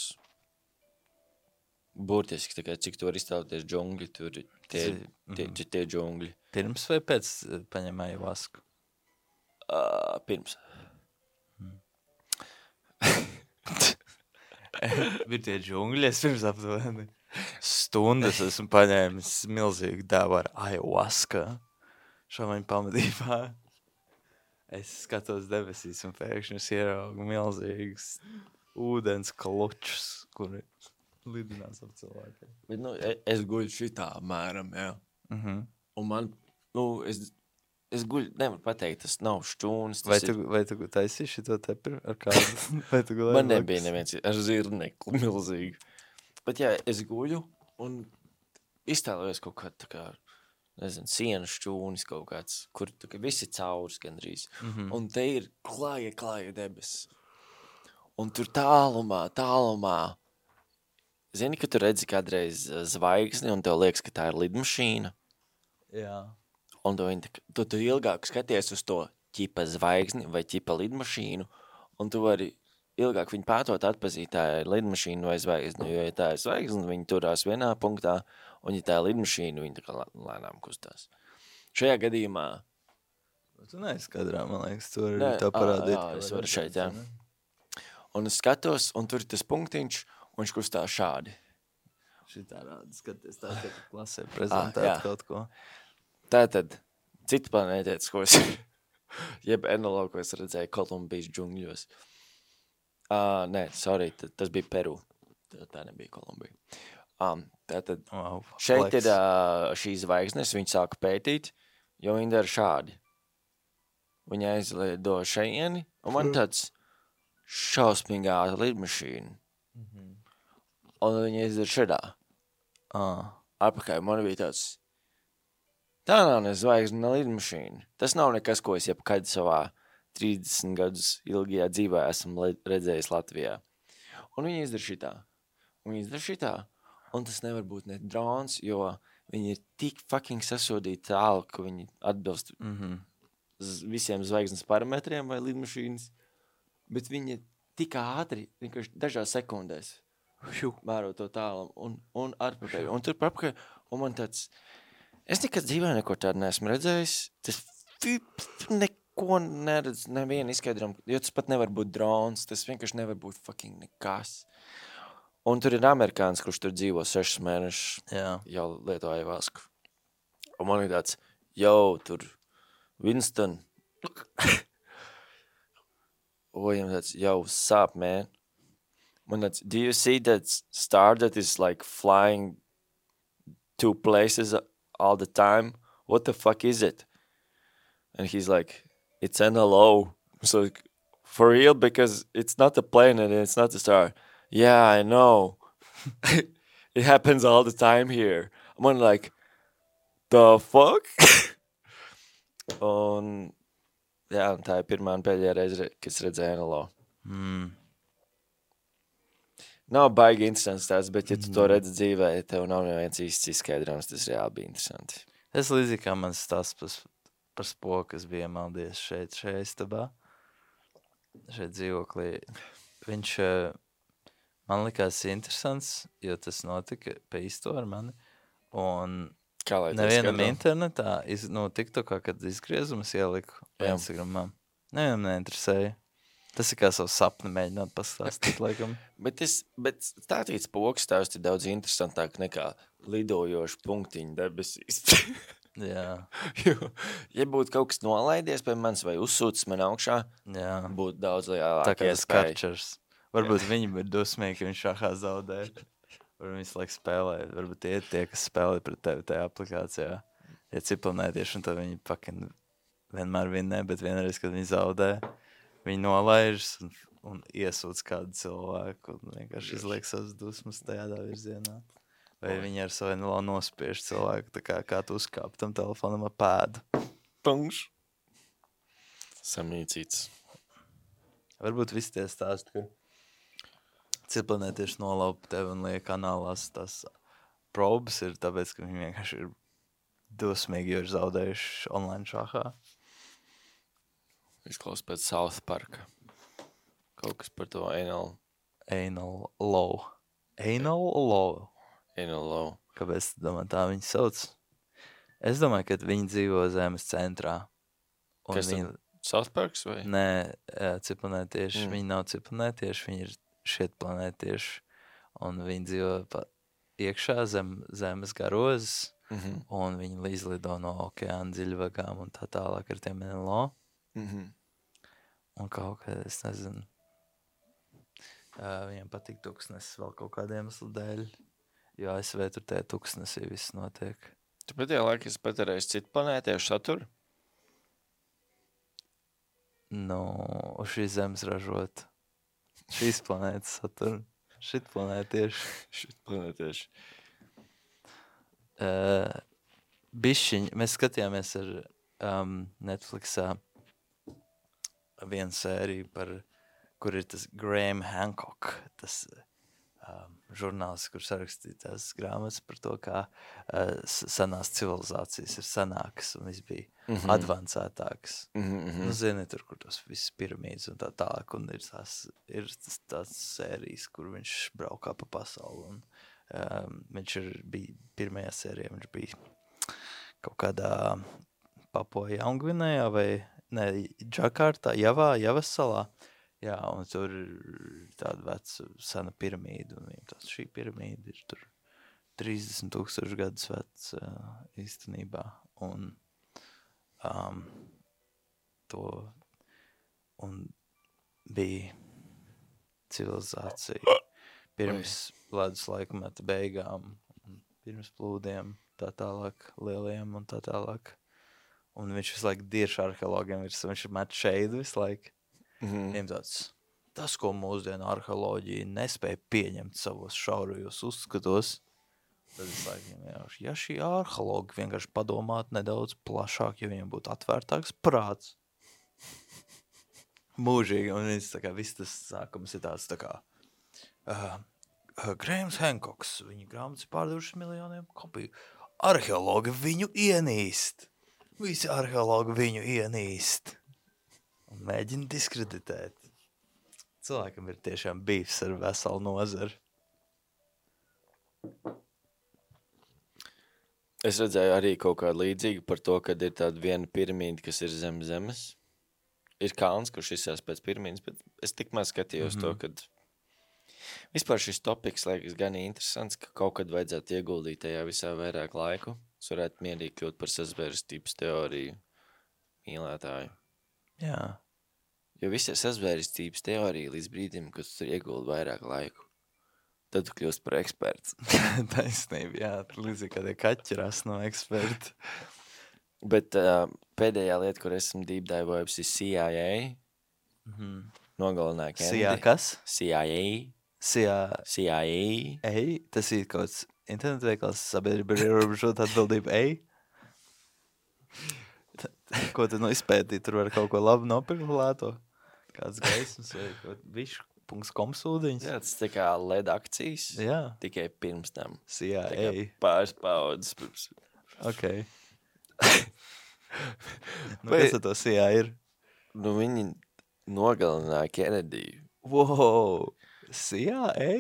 Burtiski, tā kā cik tu vari iztēloties džungļi, tur ir tie,
Tas
tie,
ir-
tie, tie džungļi.
pirms vai pēc eh, paņem ayahuasku?
Uh, pirms.
Ir tie džungļi, es pirms aptuveni stundas esmu paņēmis milzīgu dēvu ar ayahuasku šāmaņu pamatībā. Es skatos debesīs un pēkšņi es ieraugu milzīgus ūdens klučus, kuri lidinās ap cilvēkiem.
Bet, nu, e- es guļu šitā mēram, jā.
Mhm.
Un man, nu, es, es guļu, nevaru pateikt, tas nav šķūnis. Tas
Vai
ir,
tu, vai tu taisīši šito tepi ar kādu? Vai tu gulēji
man nebija
blakus?
neviens ar zirnekli milzīgi. Bet, jā, es guļu un iztēlojos kaut kā tā kā, nezinu, sienas šķūnis kaut kāds, kur tā kā visi caurs gandrīz.
Mhm.
Un te ir klāja, klāja debes. Un tur tālumā, tālumā. Zini, ka tu redzi kādreiz eh, zvaigzni un tev liekas, ka tā ir lidmašīna.
Jā.
Un tu, viņi, tā kā- tu, tu ilgāk skaties uz to ķipa zvaigzni vai ķipa lidmašīnu, un tu vari ilgāk viņu pētot atpazīt, tā ir lidmašīna vai zvaigzni, jo, ja tā ir zvaigzni, viņi turās vienā punktā, un ja tā ir lidmašīna, viņi tā kā lē- lēnām kustās. Šajā gadījumā,
Tu neesi kadrā, man liekas, tu vari
Nē,
to
ā,
parādīt.
jā,
ka
es
var
varu šeit,
redzēt,
jā.
ne?
un es skatos, un tur ir tas punktiņš, un viņš kustās šādi.
Šitā rāda, skaties tā, ka tu klasē prezentēt
jā.
kaut ko.
Tātad, cita planētietis, ko es, jeb N L O, ko es redzēju Kolumbijas džungļos. Uh, nē, sorry, t- tas bija Peru. Tā, tā nebija Kolumbija. Um, tātad,
Wow,
šeit
flex.
ir uh, šīs zvaigznes, viņi sāka pētīt, jo viņi dara šādi. Viņi aizlido šeieni, un man tāds šausmīgā lidmašīna. Mm-hmm. Un viņi izdara šādā.
Ah.
Atpakaļ man bija tāds, tā nav ne zvaigzne lidmašīna. Tas nav nekas, ko es jebkad savā trīsdesmit gadus ilgajā dzīvē esmu redzējis Latvijā. Un viņi izdara šitā. Un viņi izdara šitā. Un tas nevar būt ne drons, jo viņi ir tik fucking sasodīti tālu, ka viņi atbilst
Mm-hmm.
visiem zvaigznes parametriem vai lidmašīnas. Bet viņi ir tik ātri, vienkārši dažās sekundēs. Mēro to tālu un, un atpakaļ. Un tur papakaļ. Un man tāds, es nekad dzīvē neko tādu neesmu redzējis. Tas neko neredz, nevienu izskaidram, jo tas pat nevar būt drons. Tas vienkārši nevar būt fucking nekas. Un tur ir amerikāns, kurš tur dzīvo sešas mēnešus.
Jā.
Jau lietoja vasku. Un man ir tāds, jau tur Winston. O, viņam tāds, jau sāp, man. Man tāds, do you see that star that is like flying two places all the time? What the fuck is it? And he's like, it's N L O. So like, for real? Because it's not a plane and it's not a star. Yeah, I know. It happens all the time here. I'm like, the fuck? Un, jā, un tā ir pirmā un pēdējā reize, kad es redzēju N L O.
Mm.
Nav baigi interesants tās, bet ja tu to redzi dzīvē, tev nav neviens īsts izskaidrojums, tas reāli bija interesanti.
Es līdzīgi kā man stāsts par, par spoku, kas bija iemaldies šeit, šeit istabā, šeit dzīvoklī. Viņš man likās interesants, jo tas notika pa īsto ar mani. Un
Kā lai
nevienam internetā, iz, no TikTokā, kad izgriezumus ieliku Instagramā, nevienam neinteresēja. Tas ir kā savu sapni mēģināt pastāstīt, laikam.
bet, es, bet stātīts poks tās ir daudz interesantāk nekā lidojoši punktiņu debesīs.
Jā.
jo, ja būtu kaut kas nolaidies pie manis vai uzsūcis man augšā,
Jā.
būtu daudz
Tā
lielāka
kā tas
iespēja.
karčers. Varbūt viņi ir dosmīgi, ka viņš šahā zaudē. Varbūt visu laiku spēlē. Varbūt tie ir tie, kas spēlē pret tevi tajā aplikācijā. Ja cipelnētieši, un tad viņi pakin vienmēr vinnē, bet vienreiz, kad viņi zaudē, viņi nolaižas un, un iesūdz kādu cilvēku un vienkārši izliek savas dusmas tajā virzienā. Vai viņi ar savu N L O nospiež cilvēku, tā kā, kā tu uzkāp tam telefonam ar pēdu.
Pungš. Samnīcīts.
Varbūt visi tie stāsti, ka cipelnētieši nolaupa tevi un liek kanālās tās probes ir tāpēc, ka viņi vienkārši ir dosmīgi, jo ir zaudējuši online šahā.
Izklaus pēc South Parka. Kaut kas par to anal.
Anal low. Anal low.
Anal low.
Kāpēc tu domā tā viņi sauc? Es domāju, ka viņi dzīvo zemes centrā. Un
Kas
viņi...
tad? South Parks vai?
Nē, cipelnētieši.
Mm.
Viņi nav cipelnētieši, viņi ir šiet planētieši. Un viņi dzīvo pa iekšā zem, zemes garozes.
Mhm.
Un viņi izlido no okeāna dziļvagām un tā tālāk ar tiem N L O.
Mhm.
Un kaut kā, es nezinu, uh, viņiem patīk tuksnesis vēl kaut kādiem iemeslu dēļ, jo A S V tur tajā tuksnesī viss notiek.
Tu pēdējā laikā esi patērējis citu planētiešu saturu?
Nu, uz šīs zemes ražot šīs planētas saturu, šit planētieši.
Šit planētieši.
Uh, bišķiņ, mēs skatījāmies ar um, Netflixā vienu sēriju par, kur ir tas Graham Hancock, tas um, žurnālists, kur sarakstīja tās grāmatas par to, kā uh, senās civilizācijas ir senākas un viss bija
Mhm.
advancētākas.
Mhm, mhm.
Nu, zini, tur, kur tos visas piramīdas un tā tālāk, un ir tās, ir tas, tās sērijas, kur viņš braukā pa pasauli, un um, viņš ir, bija pirmajā sērijā, viņš bija kaut kādā Papua Jaungvinējā vai, ne, Džakartā, Javā, Javas salā, jā, un tur ir tāda veca sena piramīda, un viņam tās šī piramīda ir tur trīsdesmit tūkstoši gadus veca uh, īstenībā, un Um, to un bija civilizācija pirms ledus laikmeta beigām, un pirms plūdiem, tā tālāk, lieliem un tā tālāk. un viņš visu laiku dirš arheologiem, viņš ir met šeidu visu laiku.
Mhm.
Viņam tāds, tas, ko mūsdienu arheoloģija nespēja pieņemt savos šaurajos uzskatos, tad es laikam vienkārši, ja šī arheologi vienkārši padomāt nedaudz plašāk, ja viņam būtu atvērtāks prāts. Mūžīgi, un viņš tā kā, viss tas sākums ir tāds tā kā, uh, uh, Grahams Hancocks, viņa grāmatas pārdevušas miljoniem kopiju. Arheologi viņu ienīst. Visi arheologi viņu ienīst. Un mēģina diskreditēt. Cilvēkam ir tiešām bīfs ar veselu nozaru.
Es redzēju arī kaut kādu līdzīgu par to, kad ir tāda viena piramīda, kas ir zem zemes. Ir kalns, kurš izsās pēc piramīdas, bet es tikmēr skatījos mm-hmm. to, kad vispār šis topiks liekas gan interesants, ka kaut kad vajadzētu ieguldīt tajā visā vairāk laiku. Es varētu mierīgi kļūt par sazvērstības teoriju mīlētāju.
Jā.
Jo visi ir sazvērstības teorija līdz brīdim, kad tu tur ieguldi vairāk laiku. Tad tu kļūst par eksperts.
Taisnība, jā. Līdzīgi kā tie kaķi ras no eksperta.
Bet uh, pēdējā lieta, kur esmu deep dive-ojis, ir C I A.
Mm-hmm.
Nogalināja Kennedy.
C I A kas?
C I A.
C I A.
C I A.
Ei, tas ir kaut kāds internetu veikals sabiedrība ir ierobežota atbildība. Ei. T- Ko tad nu izpētīt? Tur var kaut ko labu nopirkt lēto? Kāds gaismas vai kaut višu punkts kom sūdiņas?
Jā, tas tā kā L E D akcijas.
Jā.
Tikai pirms tam.
C I A.
Tā kā pāris paudzes pirms.
Ok. Nu, kas ar to C I A ir?
Nu, viņi nogalināja Kennedy.
Wow. C I A?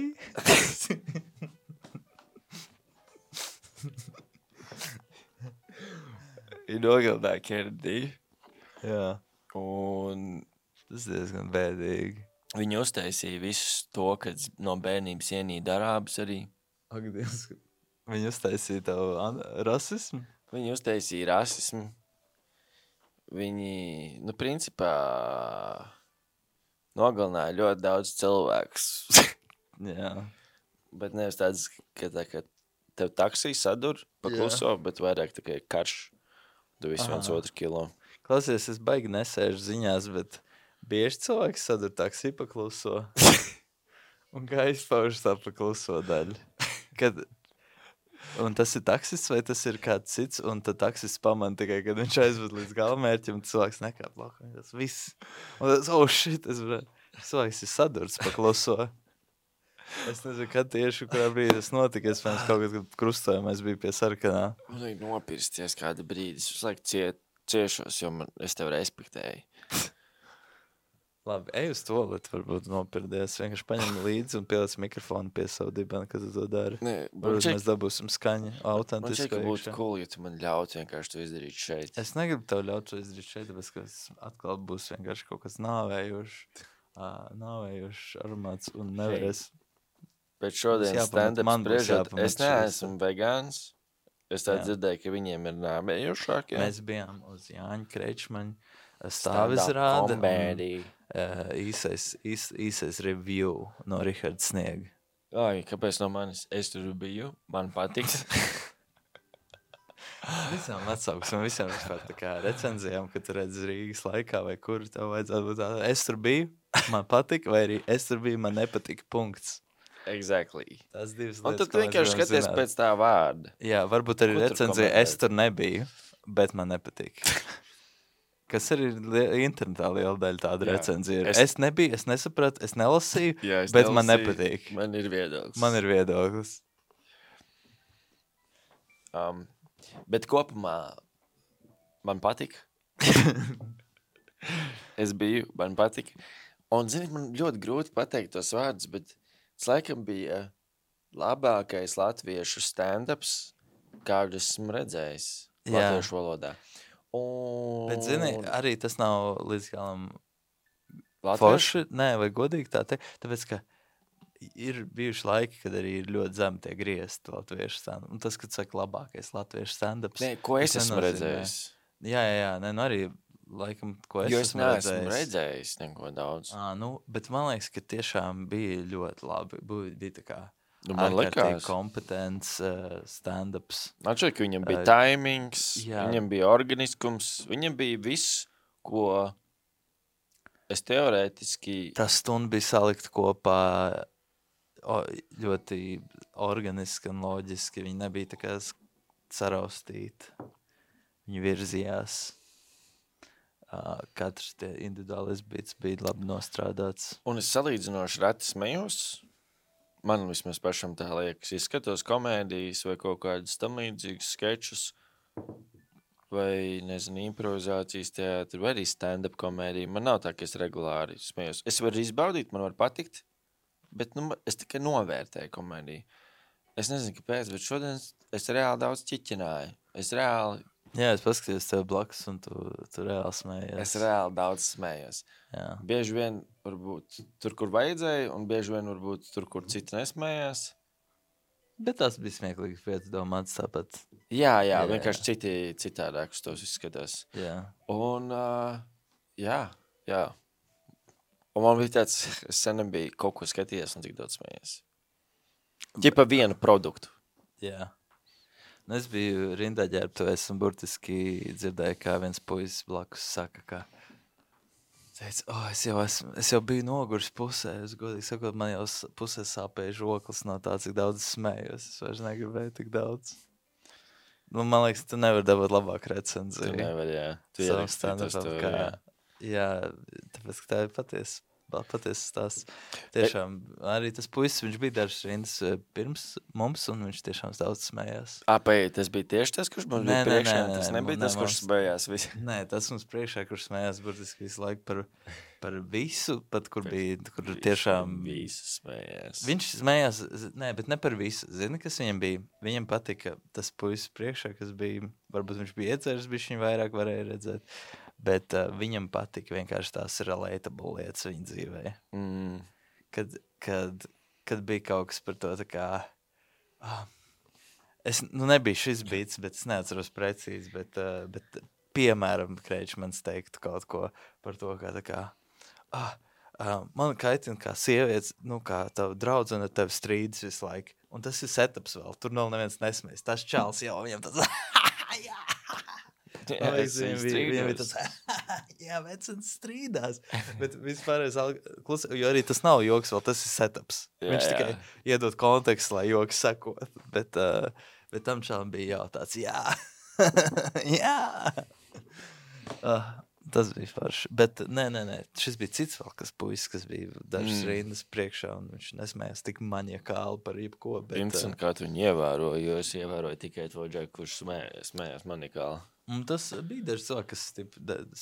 Viņi nogalināja Kennedy.
Jā.
Un
Tas ir diezgan bēdīgi.
viņi uztaisīja visu to, kad no bērnības ienīda arābus arī.
Ak, Dievs. Viņi uztaisīja tavu an- rasismu?
Viņi uztaisīja rasismu. Viņi, nu, principā, nogalināja ļoti daudz cilvēkus.
Jā.
Bet nevis tāds, ka tā, ka tev taksī sadur pa
Jā.
kluso, bet vairāk tikai karš. Tu visu viens
Aha.
otru kilo.
Klausies, es baigi nesēžu ziņās, bet bieži cilvēks sadur taksī pa kluso. Un kā izpaužas tā pa kluso daļu? Kad... Un tas ir taksists vai tas ir kāds cits, un tad taksists pamana tikai, kad viņš aizved līdz galamērķim, un cilvēks nekāp laukā. Tas viss. Un tas, oh shit, es varētu... Cilvēks ir sadurts pa kluso. Es nezinu, kad tieši, kurā brīdī tas notika. Es pēc kaut kad krustojumā es biju pie sarkanā.
Man vajag nopirsties kādu brīdi. Es visu laiku cie, ciešos, jo man, es tev respektēju.
Labi, ej uz toaletu, varbūt nopirdies. Vienkārši paņem līdzi un pieliec mikrofonu pie savu dibana, kad tu to dari.
Nē, man
Varbūt
šeit,
mēs dabūsim skaņu,
man šeit,
autentisku.
ka būtu
iekšā.
cool, ja tu man ļautu vienkārši to izdarīt šeit.
Es negribu tev ļaut to izdarīt šeit, tāpēc, ka es atkal būs vienkārši kaut kas nāvējošs, uh, nāvējošs aromāts un nevarēs.
Bet šodien
jāpamat-
stand-up
man būs
spriežot,
jāpamat
es neesmu vegāns. Es tā
Jā.
dzirdēju, ka viņiem ir nāvējošāk. Jā.
Mēs bijām uz Jāņa Kreičmaņa stāvizrāde un
Kombēdī.
uh, īsais, īs, īsais review no Riharda Sniega.
Ai, kāpēc no manis? Es tur biju, man patiks.
Visām atsauksim, visām vispār tā kā recenzijām, kad tu redz Rīgas laikā vai kur tev vajadzētu būt tā. Es tur biju, man patika, vai arī es tur biju, man nepatika, punkts.
Exactly.
Tās divas
Un
lietas,
tad tu vienkārši skaties pēc tā vārda.
Jā, varbūt arī
Ko tur
recenzija,
komentēt?
es tur nebiju, bet man nepatika. Kas arī li- internetā liela daļa tāda
Jā.
recenzija ir.
Es-
Es nebiju, es nesapratu, es nelasīju,
Jā, es
bet man
nelasīju.
nepatīk.
Man ir viedoklis.
Man ir viedoklis.
Um, bet kopumā man patika. Es biju, man patika. Un, zini, man ļoti grūti pateikt tos vārdus, bet tas laikam bija labākais latviešu stand-ups, kādu esmu redzējis
Jā.
latviešu valodā. Un...
Bet, zini, arī tas nav līdz galam
latviešu?
forši, nē, vai godīgi tā te, tāpēc, ka ir bijuši laiki, kad arī ir ļoti zem tie griezti latviešu stand-up. Un tas, kad saka labākais latviešu stand-ups.
Nē, ko es
tas
esmu
nenozīmē-
redzējis?
Jā, jā, jā, nē, nu arī laikam, ko es
Jo es
esmu
neesmu
redzējis.
redzējis neko daudz.
Ā, nu, bet man liekas, ka tiešām bija ļoti labi. Bija, bija tā kā,
Nu, man
ārkārtīgi
likās.
kompetents uh, stand-ups.
Man šķiet, ka viņam bija
Uh,
timings,
jā.
viņam bija organiskums, viņam bija viss, ko es teorētiski...
Tā stunda bija salikt kopā o, ļoti organiski un loģiski. Viņi nebija tā kā saraustīti. Viņi virzījās. Uh, katrs tie individuālis bits bija labi nostrādāts.
Un es salīdzinoši reti smējos. Man vismaz pašam tā liekas. Es skatos komēdijas vai kaut kādus tam līdzīgus skečus vai, nezinu, improvizācijas teātri vai arī stand-up komēdiju. Man nav tā, ka es regulāri smējos. Es varu izbaudīt, man var patikt, bet nu, es tikai novērtēju komēdiju. Es nezinu, kāpēc, bet šodien es reāli daudz ķiķināju. Es reāli...
Jā, es paskatījos tev blakus, un tu, tu reāli smējies.
Es reāli daudz smējos.
Jā.
Bieži vien varbūt tur, kur vajadzēja, un bieži vien varbūt tur, kur citi nesmējās.
Bet tas bija smieklīgi piedomāts tāpat.
Jā, jā,
Jā,
vienkārši citi citādāk uz tos izskatās.
Jā.
Un, uh, jā, jā. Un man bija tāds, es sen nebiju kaut ko skatījies un tik daudz smējies. Ķipa vienu produktu.
Jā. Nu, es biju rindā ģērbtuvēs un burtiski dzirdēju, kā viens puisis blakus saka, ka teica, oh, es jau, esmu, es jau biju noguris pusē. Es godīgi sakot, man jau s- pusē sāpēja žoklis no tā, cik daudz smējos. Es vairs negribēju tik daudz. Nu, man liekas, tu nevari dabūt labāku
Tu
recenziju.
nevar, jā. Tu
Savu
ierakstīji to
stand-upam,
story,
kā,
jā.
jā, tāpēc, ka tā ir patiesa. Patiesa stāsts. Tiešām, arī tas puisis, viņš bija dažas rindas eh, pirms mums, un viņš tiešām daudz smējās.
Ā, paiet, tas bija tieši tas, kurš mums
Nē,
bija
nē,
priekšā.
nē,
Tas
nē,
nebija
nē,
tas, kurš
mums-
smējās. Visi.
Nē, tas mums priekšā, kurš smējās burtiski visu laiku par, par visu, pat kur bija, kur tiešām...
Visi smējās.
Viņš smējās, z- nē, bet ne par visu. Zini, kas viņam bija? Viņam patika tas puisis priekšā, kas bija, varbūt viņš bija ieceris, viņš viņu vairāk varēja redzēt, bet uh, viņam patika vienkārši tās relatable lietas viņa dzīvē.
Mm.
Kad, kad, kad bija kaut kas par to tā kā... Ah, es, nu, nebija šis bits, bet es neatceros precīzi, bet, uh, bet piemēram, Kreičmans teiktu kaut ko par to, kā tā kā... Ah, uh, man kaitina kā sievietes, nu, kā tava draudzene ar tevi strīdas visu laiku. Un tas ir setups vēl, tur nav neviens nesmēs. Tas čāls jau viņam tas... Jā!
Jā,
Man liekas,
es
viņam bija, viņam bija
strīdos.
tas, jā, vecens strīdās. Bet vispār es klus, jo arī tas nav joks, vēl tas ir setups.
Jā,
Viņš
jā.
tikai iedod kontekstu, lai joks sakot. Bet, uh, bet tam čālam bija jautāts, jā, jā. Uh, tas bija forši. Bet nē, nē, nē, šis bija cits vēl, kas puisis, kas bija dažas
Mm.
mm. rindas priekšā, un viņš nesmējās tik maniakāli par jebko. Bet, uh,
Interesanti, kā tu viņu ievēroji, jo es ievēroju tikai to džeku, kurš smējās, smējās manikāli.
Un tas bija daži cilvēki, kas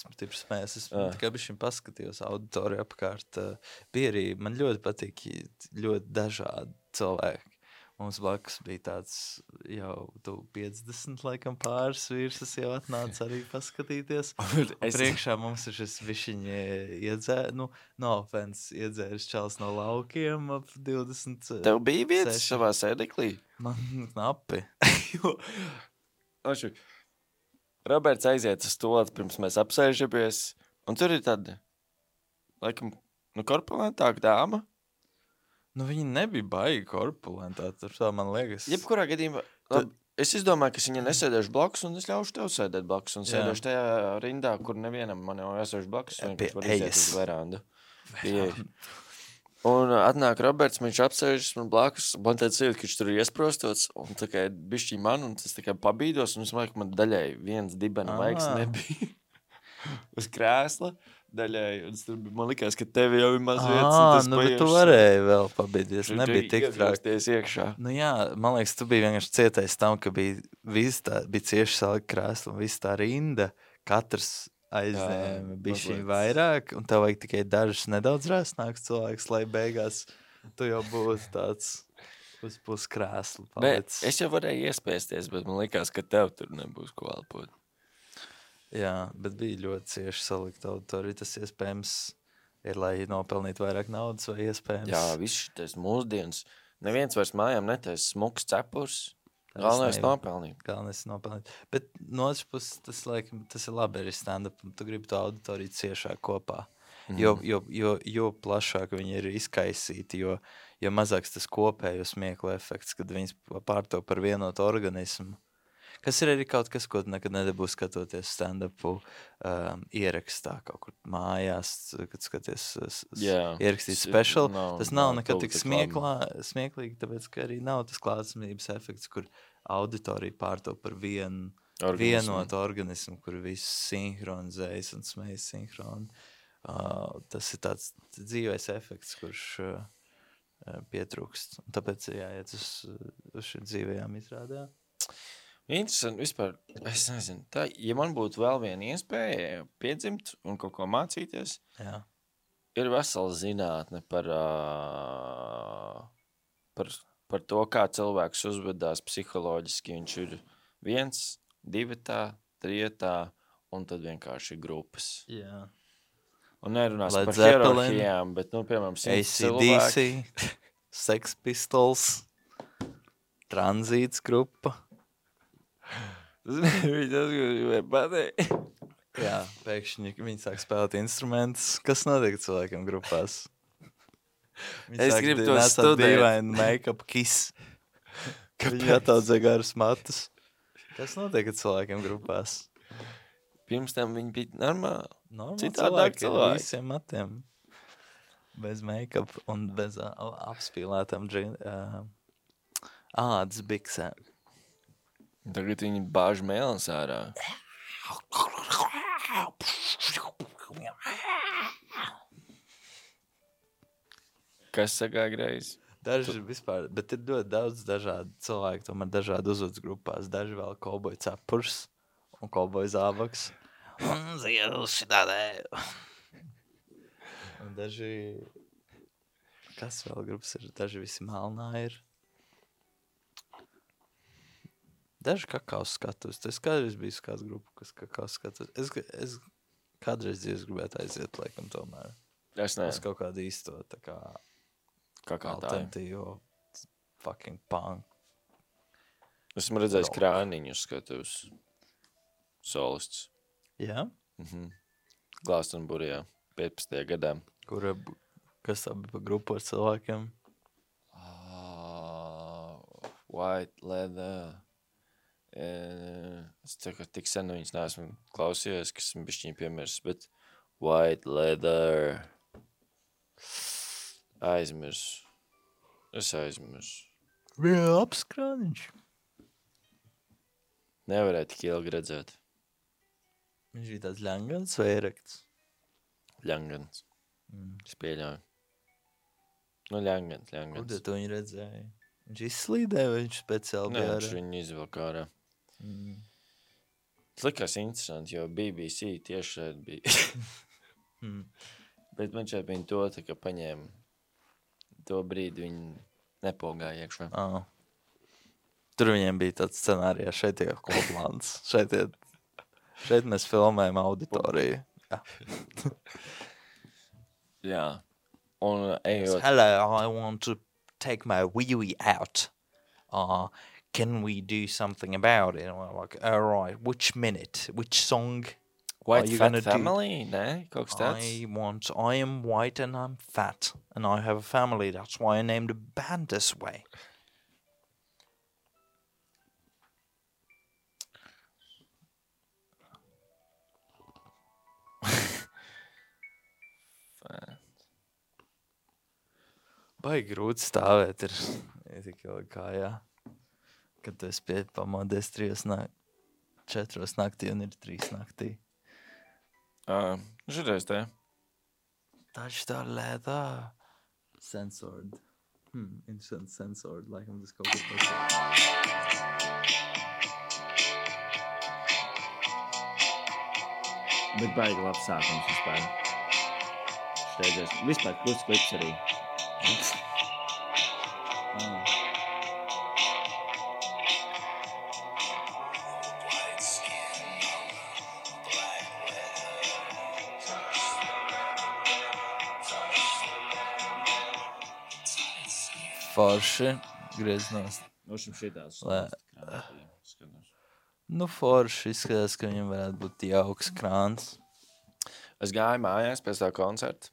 stipri smējās. Es
Jā.
tikai bišķiņ paskatījos auditoriju apkārt. uh, Bija arī, man ļoti patīk ļoti dažādi cilvēki. Mums blakus bija tāds jau tu piecdesmit laikam pāris vīrs, kas jau atnāca arī paskatīties. Un
Es-
priekšā mums ir šis bišķiņ iedzēr, nu, no offense, iedzēris čals no laukiem ap divdesmit.
Tev bija vietas
seši.
savā sēdeklī?
Man knapi.
Jo, Ošu, Roberts aiziet uz stolati, pirms mēs apsēžamies, un tur ir tāda, laikam, nu, korpulentāka dāma.
Nu, viņi nebija baigi korpulentā, tur tā man liekas.
Jebkurā gadījumā, labi, es izdomāju, ka es viņai nesēdēšu blakus, un es ļaušu tev sēdēt blakus, un
Jā.
sēdēšu tajā rindā, kur nevienam man jau esēšu blakus,
Jā,
vienkārši
pie
var iziet
ejas.
uz verandu. Pie ejas. Un uh, atnāk Roberts, viņš apsēžas man blakus, man tāds ir, ka viņš tur ir iesprostots, un tā kā bišķi man, un tas tā kā pabīdos, un es domāju, ka man daļai viens dibena
Ā.
vaigs nebija uz krēsla, daļai, un es tur, bija- man likās, ka tevi jau ir maz vietas,
Ā, nu, bet tu varēji vēl pabīdies, nebija tik trāk.
trāk. Iekšā.
Nu jā, man liekas, tu biji vienkārši cietais tam, ka bija, viss tā, bija cieši salika krēsla un viss tā rinda, katrs aizņēma
Jā,
bišķiņ
mazliet.
vairāk, un tev vajag tikai dažs nedaudz rēsnāks cilvēks, lai beigās tu jau būtu tāds uz pus krēslu
Bet
palicis.
es jau varēju iespēsties, bet man likās, ka tev tur nebūs ko elpot.
Jā, bet bija ļoti cieši salikt auditoriju. Tas iespējams ir, lai nopelnītu vairāk naudas vai iespējams.
Jā, viss šitais mūsdienas. Neviens vairs mājām netaisa smuks cepurs.
Taisnība.
Galvenais nopelnīt.
Galvenais ir nopelnīt. Bet no otras puses, tas, laikam, tas ir labi arī stand-up. Tu gribi to auditoriju ciešāk kopā. Jo, jo, jo, jo plašāk viņi ir izkaisīti, jo, jo mazāks tas kopējo smieklu efekts, kad viņas pārto par vienotu organismu. Kas ir arī kaut kas, ko tu nekad nedabūs skatoties stand-upu um, ierakstā kaut kur mājās, kad skaties s- s-
Jā.
ierakstīt
S-
special.
nav-
Tas nav
nav
nekad
tuvu
tik
tik
smieklā, smieklīgi, tāpēc, ka arī nav tas klātsamības efekts, kur auditorija pārto par vienu
Organismu.
vienotu organismu, kur viss sinhronizējas un smējas sinhroni. Uh, tas ir tāds dzīvais efekts, kurš uh, uh, pietrūkst. Un tāpēc ir jāiet uz, uz šī dzīvajām izrādē.
Interesanti vispār, es nezinu, tā, ja man būtu vēl viena iespēja piedzimt un kaut ko mācīties,
Jā.
ir vesela zinātne par, ā, par, par to, kā cilvēks uzvedās psiholoģiski. Viņš ir viens, divatā, trijatā un tad vienkārši grupas.
Jā.
Un nerunās
Led
par
Zeppelin,
hierarhijām, bet, nu, piemēram, simts
A C D
cilvēki.
C, Sex Pistols, Tranzīts grupa.
Tas nebija tas, ko gribēju pateikt.
Jā, pēkšņi viņi sāk spēlēt instrumentus. Kas notiek cilvēkiem grupās? Viņi
Es
sāk
gribu
di-
to
nesāt
studēt.
dīvainu make-up kiss. Viņi ataudzē garus matus. Kas notiek ar cilvēkiem grupās?
Pirms tam viņi bija normāli.
Normāli
Citādāk
cilvēki ar
cilvēki.
visiem matiem. Bez make-up un bez uh, apspīlētām džin, uh, ādas biksēm.
Tagad viņi bāž mēlens ārā. Kas sagā greizi?
Daži vispār, bet ir ļoti daudz dažādu cilvēku, tomēr dažādi uzvedas grupās. Daži vēl kauboju cepurs un kauboju zābaks. Un ziedu šitādē. Un daži, kas vēl grupas ir? Daži visi melnā ir. Daži kakaus skatus. Es kādreiz biju uz kādu grupu, kas kakaus skatus. Es, es kādreiz dzīves gribētu aiziet, laikam, tomēr.
Es
Es
nezinu,
kaut kādu īsto, tā kā,
kā, kā tā ir.
alternatīvo fucking punk.
Esmu redzējis
Rock.
krāniņus skatus. Solists.
Jā?
Mhm. Glāstenburijā. piecpadsmitajā gadā.
Kura, b- kas tā bija pa grupu ar cilvēkiem?
Uh, white leather. Uh, es ceru, ka tik sen viņas neesmu klausījies, ka esmu bišķiņ piemirsis, bet white leather. Aizmirsu. Es aizmirsu.
Bija labs krāniņš.
Nevarēja tik ilgi redzēt.
Viņš bija tāds ļangans vai erekts?
Ļangans.
Mm.
Es pieļauju. Nu, ļangans,
Kur
ļangans.
tad to viņi redzēja? Viņš izslīdēja vai viņš speciāli
Nē,
bija
viņš
ar...
viņu izvilka ārā.
Mm.
Tas likās interesanti, jo B B C tieši šeit bija.
Mm.
Bet man šeit viņa to tā kā paņēma. To brīdi viņi nepogāja iekšā.
Ah. Tur viņiem bija tāds scenārijā, šeit ir koplāns. šeit, ir, šeit mēs filmējam auditoriju. Jā.
Jā. Un ejot.
Hello, I want to take my wee-wee out. Uh, can we do something about it? And we're like, all right, which minute, which song?
White
you
Fat
gonna do-
Family? Nē, kaut kas tāds.
I want, I am white and I'm fat and I have a family. That's why I named the band this way. Baigi grūti stāvēt ir, ir tik ilgi kājā, kad tu esi pie pamodies trijos nāk, četros naktī un ir trīs naktī.
Uh, Šitais te.
Touch the leather. Censored. Hmm, interesant censored, laikam tas kaut kas tāds.
Bet baigi labs sākums vispār. Steidzies. Vispār kurts klips arī. Mm.
Forši. Griezinos.
Nošam šitās.
Lē.
Skatos.
Nu, forši izskatās, ka viņam varētu būt jauks krāns.
Es gāju mājās pēc tā koncerta.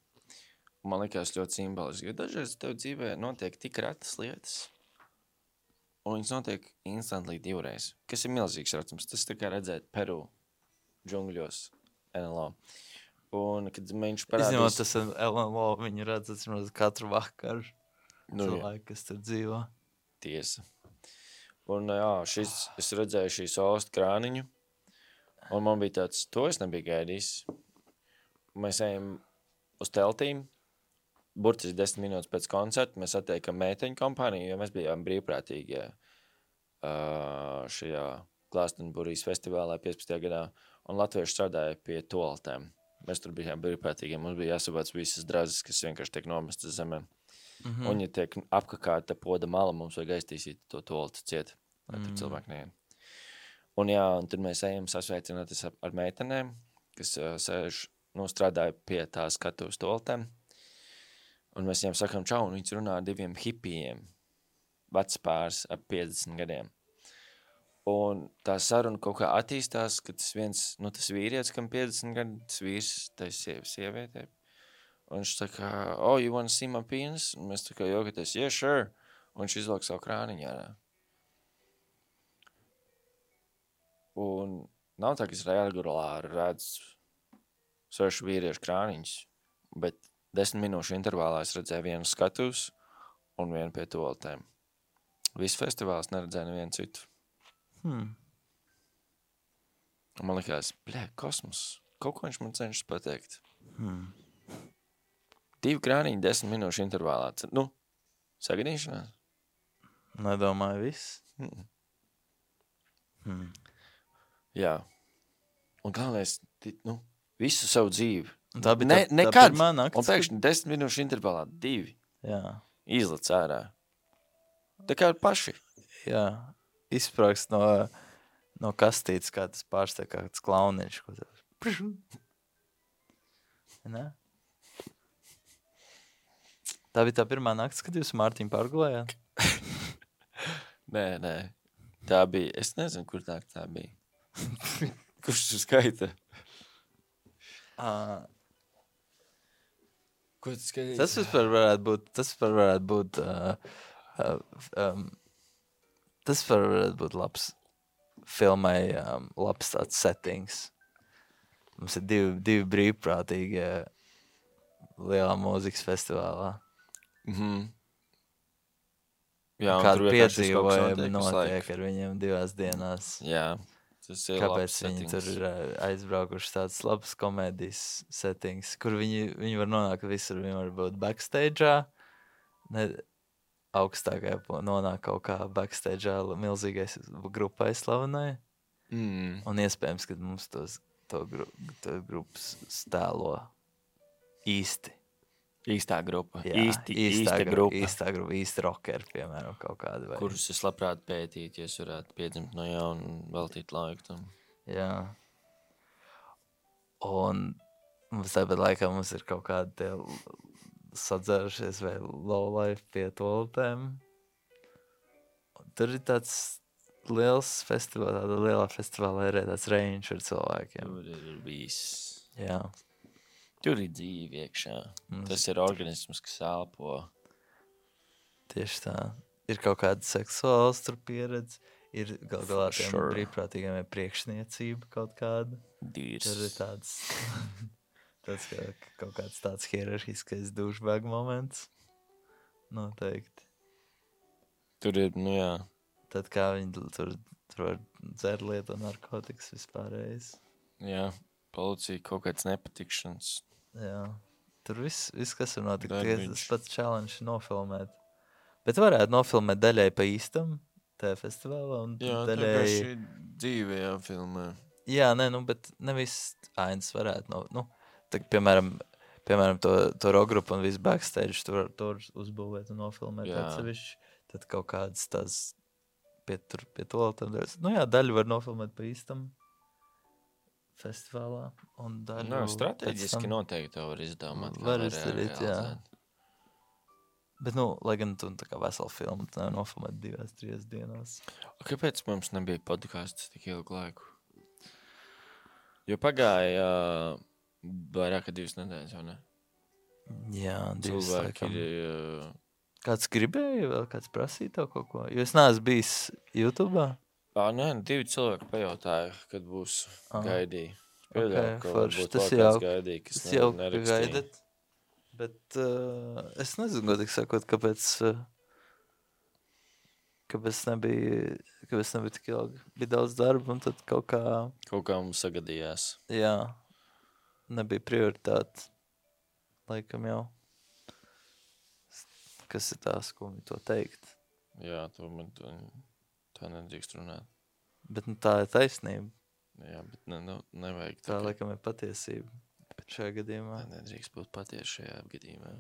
Man likās ļoti simboliski, jo dažreiz tev dzīvē notiek tik retas lietas, un viņas notiek instantly divreiz, kas ir milzīgs racums. Tas tā kā redzēt Peru džungļos N L O. Un, kad viņš parādīs...
Izņemot tas N L O, viņu redz, atsimot katru vakaru
Nu, jā.
cilvēku, kas tur dzīvo.
Tiesa. Un jā, šis, es redzēju šīs ostu krāniņu, un man bija tāds, to es nebiju gaidījis. Mēs ejam uz teltīm, burtiski desmit minūtes pēc koncerta, mēs attiekam meiteņu kompāniju, jo mēs bijām brīvprātīgi uh, šajā Glastonburijas festivālā piecpadsmitajā gadā, un latvieši strādāja pie toaletēm. Mēs tur bijām brīvprātīgi, mums bija jāsavāc visas drazes, kas vienkārši tiek nomestas zemē. Mm-hmm. Un, ja tiek apkakāta poda mala, mums vajag aiztīsīt to toltu ciet, lai tur mm. cilvēki neien. Un jā, un tad mēs ejam sasveicināties ar, ar meitenēm, kas uh, sēž, nu, strādāja pie tā skatuves toltēm. Un mēs viņiem sakām čau, un viņas runā ar diviem hipijiem, vecs pāris ap piecdesmit gadiem. Un tā saruna kaut kā attīstās, ka tas viens, nu, tas vīrietis, kam piecdesmit gadi, tas vīrs, tai sievietē. Un viņš tā kā, oh, you wanna see my penis? Un mēs tā kā jokaties, yeah, sure. Un viņš izvelk savu krāniņu ārā. Un nav tā, ka es regulāri redzu svešu vīriešu krāniņus, bet desmit minūšu intervālā es redzēju vienu skatus un vienu pie toaletēm. Visu festivāls neredzēju nevienu citu.
Hmm.
Un man likās, bļē, kosmos, kaut ko viņš man cenšas pateikt.
Hmm.
Divi krāniņi desmit minūšu intervālā. Nu, sagadīšanās?
Nedomāju viss.
Mm.
Hmm.
Jā. Un galvenais, nu, visu savu dzīvi.
Tā bija
ne,
tā,
nekad.
tā pirmā nakts.
Un pēkšņi desmit minūšu intervālā divi.
Jā.
Izlec ārā. Tā kā paši.
Jā. Izsprāgst no, no kastītes, kā tas pārsteig, kā tas klauniņš. Ne? Tā bija tā pirmā nakts, kad jūs Mārtiņu pārgulējāt?
Nē, nē. Tā bija, es nezinu, kur tā, tā bija. Kurš tu skaita?
Uh,
Ko tu skaiti?
tas vispār varētu būt, tas vispār varētu būt, uh, uh, um, tas vispār varētu būt labs filmai, um, labs tāds settings. Mums ir divi, divi brīvprātīgi lielā mūzikas festivālā.
Mhm. Jā, un
Kādu
tur vienkārši viss kaut kas
piedzīvojumi
notiek visu
notiek
laiku.
ar viņiem divās dienās.
Jā, tas ir
Kāpēc
labs
viņi
settings.
tur ir uh, aizbraukuši tāds labs komēdijas settings, kur viņi, viņi var nonākt visur, viņi var būt backstage'ā, ne, augstākajā po- nonāk kaut kā backstage'ā milzīgais grupai slavenai,
Mm.
un iespējams, ka mums tos, to, gru, to grupas stēlo īsti.
Īstā grupa.
Jā,
īsti, īsta
gru-
grupa.
Īstā grupa, īsti rockeri, piemēram, kaut kādi. Vai.
Kurus es labprāt pētītu, ja es varētu piedzimt no jauna un veltīt laiku tam.
Jā. Un mums tāpat laikā mums ir kaut kādi tie sadzērušies vai lowlife pie toaletēm. Tur ir tāds liels festivāls, tāda lielā festivālā ir tāds range ar cilvēkiem.
Tur ir viss.
Jā.
Tur ir dzīve iekšā.
Mums
Tas ir organisms, kas elpo.
tieši tā. Ir kaut kāda seksuāls tur pieredze. Ir gal galā
For
tiem
sure.
brīvprātīgiem ir priekšniecība kaut kāda.
Dīrs.
Tur ir tāds, tāds kā, kaut kāds tāds hierarhiskais douchebag moments. Noteikti.
Tur ir, nu jā.
Tad kā viņi tur, tur var dzert lietu un narkotikas vispārējais.
Jā, policija kaut kāds nepatikšanas.
Jā. Tur viss, viss kas var notikt.
Darbiņš.
Tikai tas pats challenge nofilmēt. Bet varētu nofilmēt daļai pa īstam tajā festivālā un
Jā,
daļai...
tā kā šī dzīve jāfilmē.
Jā, nē, nu, bet nevis ainas varētu, no, nu, tā, piemēram, piemēram, to, to rock grupu un visu backstage tur, tur uzbūvēt un nofilmēt
Jā.
atsevišķi, tad kaut kādas tās pie, tur, pie toaletēm. Nu jā, daļu var nofilmēt pa īstam festivālā un daļu
Nā,
pēc
strateģiski
tam-
noteikti to var izdomāt. kā
Var
var
izdarīt, jā.
realizēt.
Bet, nu, lai gan tu tā kā veselu filmu tu nevar nofilmēt divās, trīs dienās.
O, kāpēc mums nebija podcasts tik ilgu laiku? Jo pagāja uh, Vairāk kā divas nedēļas, jau ne?
Jā, divas
Cilvēki
laikam.
ir... Uh,
Kāds gribēja vēl, kāds prasīja tev kaut ko? Jo es neesmu bijis YouTube'ā.
ā, nē, divi cilvēki pajautāja, kad būs
Ah.
gaidīja.
Ok,
Pieļauju, ka
forši.
varbūt
Tas
vēl
jau-
kāds gaidīja, kas
Tas
ne-
jau, ka
nerakstīja.
gaidat. Bet uh, es nezinu, godīgi sakot, kāpēc, uh, kāpēc nebija, kāpēc nebija tik ilgi. Bija daudz darba un tad kaut kā,
Kaut kā mums sagadījās.
jā, nebija prioritāte. Laikam jau. Kas ir tās, ko man to teikt?
Jā, to man to, tā nedrīkst runāt.
Bet nu, tā ir taisnība.
Jā, bet ne, nu, nevajag
Tā
tā.
laikam ir patiesība. Šajā gadījumā.
Tā nedrīkst būt patiesi šajā gadījumā.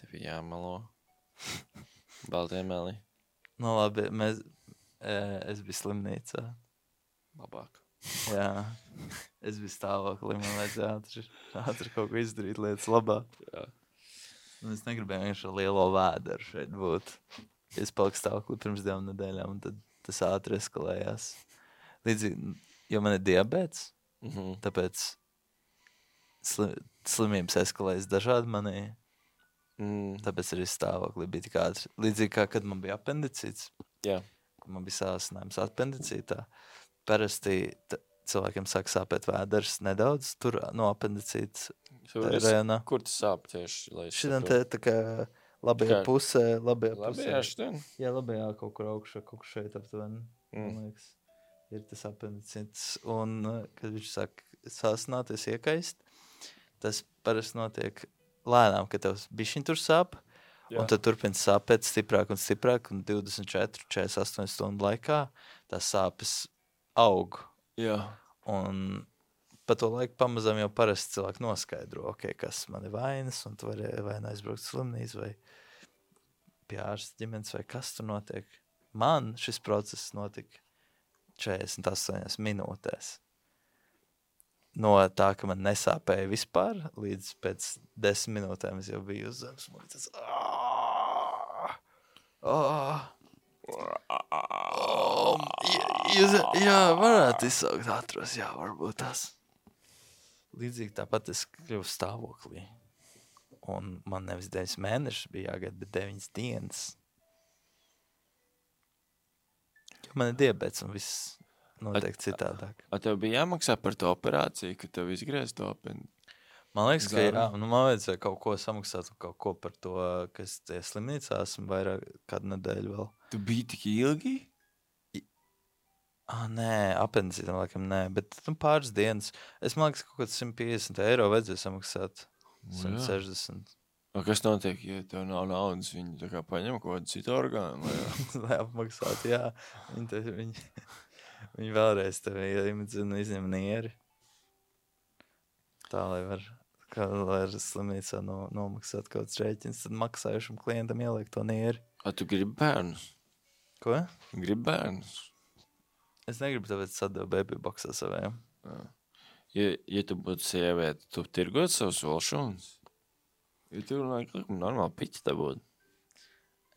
Tev ir jāmalo. Baltie meli.
Nu labi, mēs, e, es biju slimnīcā.
Labāk.
Jā, es biju stāvoklī, man vajadzēja ātri, ātri kaut ko izdarīt lietas labā.
Jā.
Un es negribēju vienkārši ar lielo vēderu šeit būt. Es paliku stāvoklī pirms divām nedēļām, un tad tas ātri eskalējās. Līdzīgi, jo man ir diabēts,
Mhm.
tāpēc sli, slimības eskalējas dažādi manī,
Mm,
tāpēc arī stāvoklī bija tik ātri. Līdzīgi kā, kad man bija apendicīts,
jā.
kad man bija sāsinājums apendicītā, parasti t- cilvēkiem sāk sāpēt vēders nedaudz, tur no apendicītas
Tur es,
rajonā.
kur tas sāp tieši? Lai es
Šitam
saprotu?
te tā kā labajā
Kā-
pusē, labajā
Labi,
pusē.
jā, šitien.
Jā, labajā kaut kur augšā, kaut kur šeit aptuveni,
Mm.
man liekas, ir tas apendicīts. Un, uh, kad viņš sāk sāsināties, iekaist, tas parasti notiek lēnām, ka tev bišķiņ tur sāp,
Jā.
un tad turpina sāpēt stiprāk un stiprāk, un divdesmit četri, četrdesmit astoņi stundu laikā tās sāpes aug.
Jā.
Un pa to laiku pamazām jau parasti cilvēki noskaidro, okay, kas man ir vainas, un tu vari vai nu aizbraukt uz slimnīcu, vai pie ārsta ģimenes, vai kas tur notiek. Man šis process notika četrdesmit astoņās minūtēs. No tā, ka man nesāpēja vispār, līdz pēc desmit minūtēm es jau biju uz zemes. Man bija tāds, "Aaah! Aaah! Oh, jā, jūs, jā, varētu izsaukt ātros, jā, varbūt tas. Līdzīgi tāpat es kļuvu stāvoklī. Un man nevis deviņas mēnešus bija jāgaida, bet deviņas dienas. Jo man ir diabets un viss notiek citādāk.
A tev bija jāmaksā par to operāciju, ka tev izgriez to apend?
Man liekas, ka
Zāru.
jā, nu man vajadzēja kaut ko samaksāt un kaut ko par to, ka es tie slimnīcā esmu vairāk kādu nedēļu vēl.
Tu biji tik ilgi?
Ah, nē, apendicītam laikam nē, bet nu, pāris dienas. Es man liekas, kaut kāds simt piecdesmit eiro vajadzēja samaksāt. simt sešdesmit.
A, kas notiek, ja tev nav naudas, viņi tā kā paņem kaut kādu citu orgānu? Vai jā?
Lai apmaksātu, jā. Viņi, te, viņi, viņi vēlreiz tevi iemedzina izņem nieri. Tā, lai var, kā, lai ar slimnīcā no, nomaksāt kaut kāds rēķins, tad maksājušam klientam ieliek to nieri.
A, tu gribi bērnus?
Ko?
Gribi bērnus?
Es negribu tāpēc sadevu baby boxā savējām.
Ja, ja tu būtu sieviete, tu tirgot savus volšūnus? Ja tu runāji, ka normāli piķi te būtu.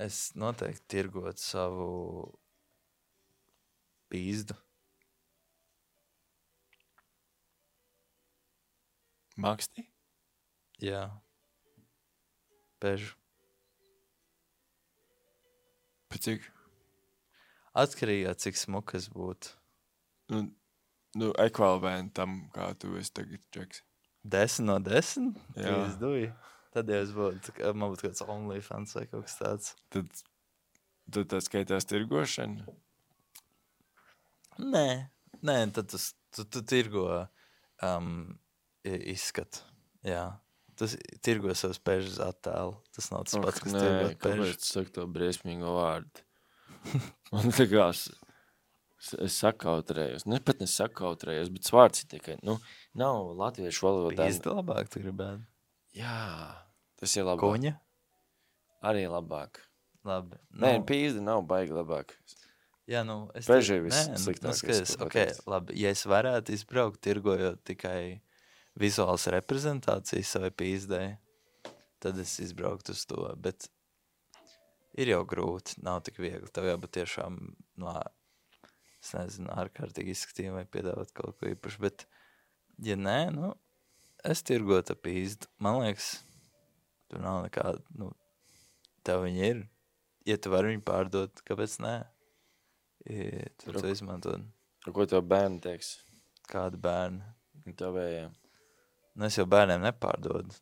Es noteikti tirgot savu pīzdu.
Maksti?
Jā. Pežu.
Pēc cik?
Atkarīgā, cik smukas būtu.
Nu, nu ekvivalentam, kā tu esi tagad čeks.
Desmit no desmit?
Jā.
Pīzduji. Tad jau es būtu, kā- man būtu kāds OnlyFans vai kaut kas tāds.
Tad, tad tā skaitās tirgošana?
Nē, nē, tad tu, tu, tu tirgo um, i- izskatu. Jā. Tu s- tirgo savus pežas attēlu. Tas nav tas pats, kas
nē,
tirgot
kāpēc
pežu.
tu saki to briesmīgo vārdu? Man tā kā es, es sakautrējos. Ne pat nesakautrējos, bet vārds ir tikai, nu, nav latviešu valodā.
Pīzda labāk tu gribētu.
Jā, tas ir labāk.
Kuņa?
Arī labāk.
Labi.
Nē, pīzda nav baigi labāk.
Jā, nu, es
Peži
te-
viss
nē, nu,
sliktākais,
nu, skaties,
ko
ok,
pateikt.
labi, ja es varētu izbraukt tirgojot tikai vizuālas reprezentācijas savai pīzdai, tad es izbrauktu uz to, bet ir jau grūti, nav tik viegli, tev jābūt tiešām, no, es nezinu, ārkārtīgi izskatījumi vai piedāvāt kaut ko īpašu, bet, ja nē, nu, es tirgotu ap pīzdu. Man liekas, tur nav nekāda, nu, tev viņi ir. Ja tu vari viņu pārdot, kāpēc nē? Ja, tu to izmantot.
Ko tev bērni teiks?
Kāda bērni?
Tev vējā.
Nu, es jau bērniem nepārdodu.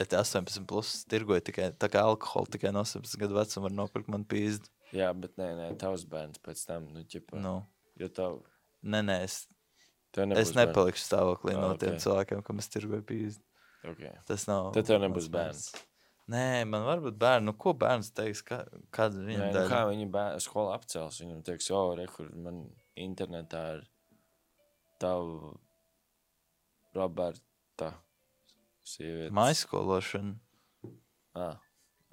Ja te astoņpadsmit plus tirgoju tikai, tā kā alkoholu tikai no astoņpadsmit gadu vecuma var nopirkt man pīzdu.
Jā, bet nē, nē, tavs bērns pēc tam, nu, ķipa.
Nu,
Jo tev,
nē, nē, es,
tev nebūs
es nepalikšu stāvoklī
Ah,
no tiem
ok.
cilvēkiem, kam es tirgoju pīzdu.
bērni. Okay.
Tas nav...
Tad tev nebūs
mans
bērns.
mērķis. Nē, man var būt bērni. Nu, ko bērns teiks? Kā, kāda
Nē,
viņam
nu,
daļa?
kā viņi bērni skola apcels, viņam teiks, o, re, kur man internetā ir tavu Roberta sieviete.
Maiskološana.
Ā,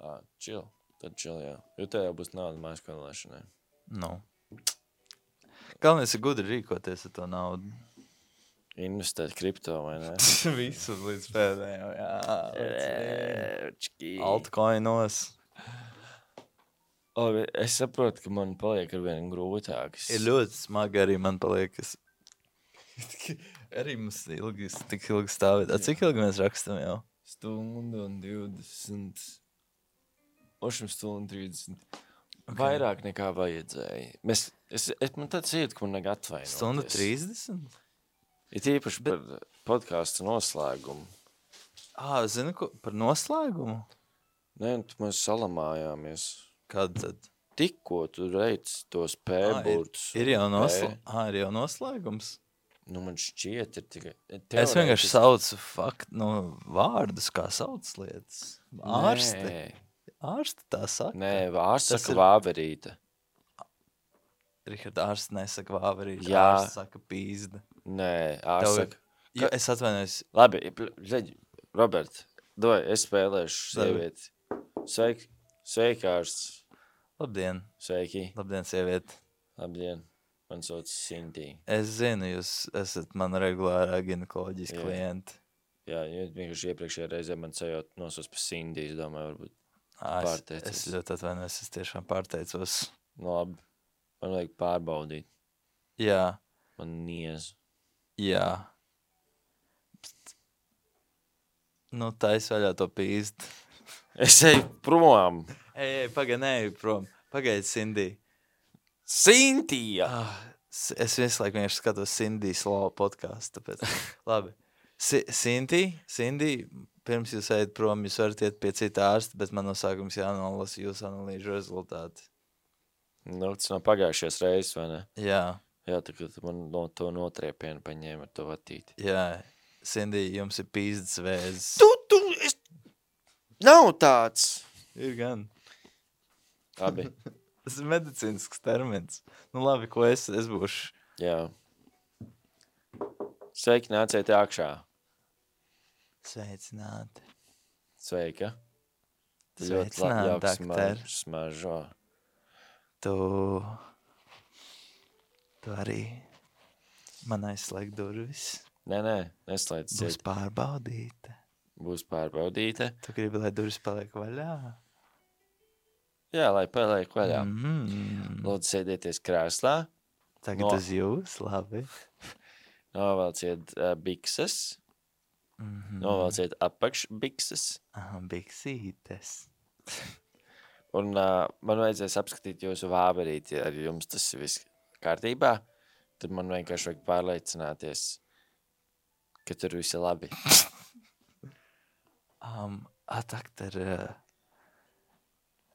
ā, chill. Tad chill, jā. Jo tev jau būs nauda maiskološanai.
Nu. Galvenais ir gudri rīkoties ar to naudu.
Investēt kripto, vai ne?
Visu līdz pēdējām, jā.
Čiki.
Altcoinos.
O, es saprotu, ka man paliek ar vien grūtāks.
Ir ļoti smagi arī man paliek, kas... arī mums ilgi, tik ilgi stāvēt. A, cik ilgi mēs rakstam jau?
Stundu un divdesmit. Ošam stundu un trīsdesmit.
Ok.
Vairāk nekā vajadzēja. Mēs, es, es, man tāds iet, ka man neg atvainoties.
Stundu trīsdesmit?
Ir īpaši par podkāstu noslēgumu.
Ā, zini, ko, par noslēgumu?
Nē, tu mēs salamājāmies.
Kad tad?
Tikko tu reic tos
Ā, ir,
pēburtus.
ir, jau
un
nosla...
P.
Ā, ir jau noslēgums?
Nu, man šķiet, ir tikai...
Es vienkārši saucu fakt, nu, vārdus, kā sauc lietas. Ārsti.
Nē,
Ārsti tā saka.
nē ārsts
Tas
saka
ir-
vāverīte.
Rihard, ārsts nesaka vāverīt.
Jā.
Ārsts saka pīzda.
Nē,
Tev
ārsts
ir-
saka...
Jo, es atvainojos.
Labi, reģi, Robert, doj, es spēlēšu
Labi.
sievieti. Sveiki, sveiki, ārsts.
Labdien.
Sveiki,
Labdien, sieviete.
labdien. Man sauc Sintī.
Es zinu, jūs esat man regulārā ginekoloģijas
Jā.
klienti.
Jā, jo vienkārši iepriekšējā reizē man sajūt nosos pa Sindī, es domāju, varbūt.
Ā, es,
Pārteicies.
es ļoti atvainojos, es tiešām pārteicos.
Nu, labi, man vajag pārbaudīt.
Jā,
Man niez.
jā. Pst. Nu, tais vaļā to pīzdu.
Es eju prom.
Ej, ej, pagaid, nē, prom. Pagaid, Cindy.
Sintija!
Ah, s- es visu laiku vienkārši skatos Cindy Slow podcastu, tāpēc. Labi. Si Cindy, Cindy, pirms jūs ejat prom, jūs varat iet pie cita ārsta, bet man no sākums jānolasa jūsu analīžu rezultāti.
Nu, tas nav pagājušies reizes, vai ne?
Jā,
Jā, tā kā tu man no to notriepienu paņēma ar to vatīti.
jā. Cindy, jums ir pīzdas vēzes.
Tu, tu, es... Nav tāds!
Ir gan.
Labi,
Tas ir medicīnisks termins. Nu labi, ko es, es būšu.
jā. Sveiki, nāciet iekšā.
Sveicināti.
Sveika. Tu ļoti
Sveicināti,
labi
dakter.
smaž, smažo.
Tu, tu arī man aizslēg durvis.
Nē, nē, neslēdz
Būs
ciet.
pārbaudīta.
Būs pārbaudīta.
Tu gribi, lai durvis paliek vaļā?
Jā, lai paliek vaļā.
Mm.
Lūdzu, sēdieties krēslā.
Tagad
No.
uz jūs, labi.
Novelciet uh, bikses.
Mm.
Novelciet apakšbikses.
Aha, biksītes.
Un uh, man vajadzēs apskatīt jūsu vāverīti, ja ar jums tas ir viss kārtībā. Tad man vienkārši vajag pārliecināties, ka tur viss ir labi.
Um, atakter, uh,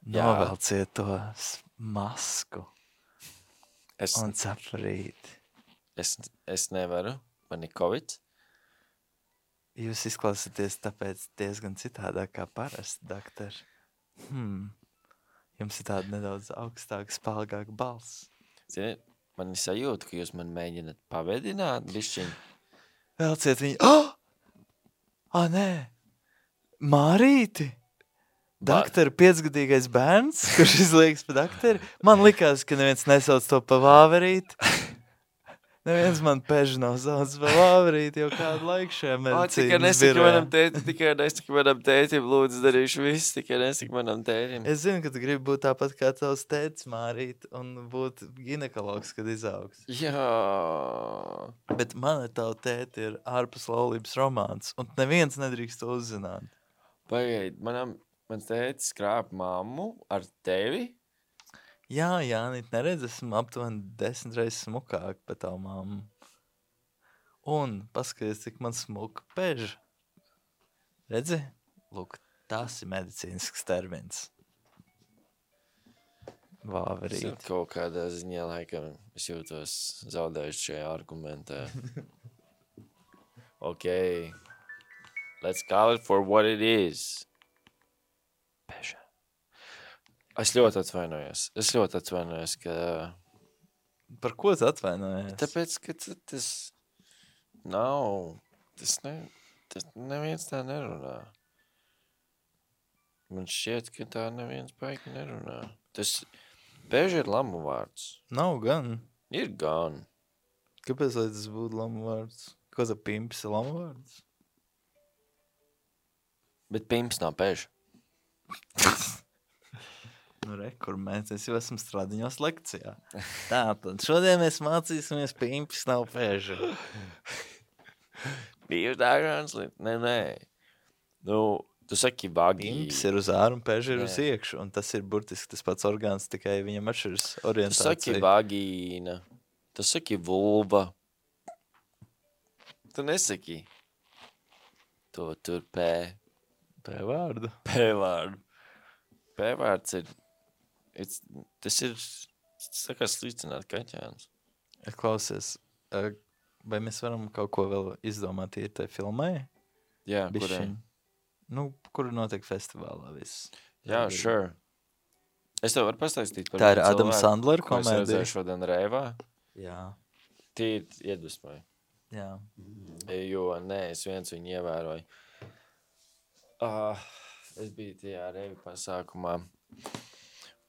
Jā.
novelciet to s- masku
Es,
un saprīt.
es, es nevaru, man ir covid.
Jūs izklausāties tāpēc diezgan citādāk kā parasti, doktor. Hmm. Jums ir tāda nedaudz augstāka, spēlgāka balss.
Zini, man ir sajūta, ka jūs man mēģināt pavedināt, bišķiņ.
Velciet viņu. Oh! Ah, nē! Mārīti!
Ba-
Doktori, piecgadīgais bērns, kurš izliekas pa doktori. Man likās, ka neviens nesauc to pa vāverīt. Neviens man peži nav sauc pa vāverīt jau kādu laiku šajā
O, tikai
medicīnas
nesaki
birojā.
manam tētim, tikai nesaki manam tētim, lūdzu, darīšu visu, tikai nesaki manam tētim.
Es zinu, ka tu gribi būt tāpat kā tavs tētis Mārīt un būt ginekologs, kad izaugs.
Jā.
Bet mana tavu tēti ir ārpus laulības romāns, un neviens nedrīkst to uzzināt.
Pagaid, manam, mans tētis krāp mammu ar tevi?
Jā, Jānīt, neredz, esmu aptuveni desmit reizes smukāk par tavu mammu. Un paskaties, cik man smuka peža. Redzi? Lūk, tas ir medicīnisks termins.
Es
Vāverīt.
kaut kādā ziņā laikam es jūtos zaudējuši šajā argumentā. Ok. Let's call it for what it is. Peža. Es ļoti atvainojos. Es ļoti atvainojos, ka...
Par ko tu atvainojies?
Tāpēc, ka t- tas nav... Tas, ne, tas neviens tā nerunā. Man šķiet, ka tā neviens baigi nerunā. Tas... Peža ir lamu vārds.
Nav gan.
Ir gan.
Kāpēc, lai tas būtu lamu vārds? Ko tā pimps ir lamu vārds?
Bet pimps nav peža.
Nu, re, kur mēs, es jau esmu stradiņos lekcijā. Tā, tad šodien mēs mācīsimies pimps nav peža.
Bija dažāds lietas. Nē, nē. Nu, tu saki vagi.
Pimps ir uz āru un peža ir
Nē.
uz iekšu, un tas ir burtiski tas pats orgāns, tikai viņam atšķiras
Tu saki
orientācija.
vagīna. Tu saki vulva. Tu nesaki. To tur pē.
Pē vārdu.
Pē vārdu. Pē vārds ir... It's, tas ir... Tas tā kā slīcināt kaķēns.
Klausies, ā, vai mēs varam kaut ko vēl izdomāt ir tai filmai?
Jā,
Bišķiņ.
kurē?
Nu, kur notiek festivālā viss.
Jā, sure. Es tev varu pastāstīt par
Tā ir
vienu
Adam
cilvēku,
Sandler
ko es
komēdija.
redzēju šodien Reivā.
Jā,
Tīri iedvesmoja.
jā.
Jo, nē, es viens viņu ievēroju. Uh, es biju tajā Reivi pasākumā.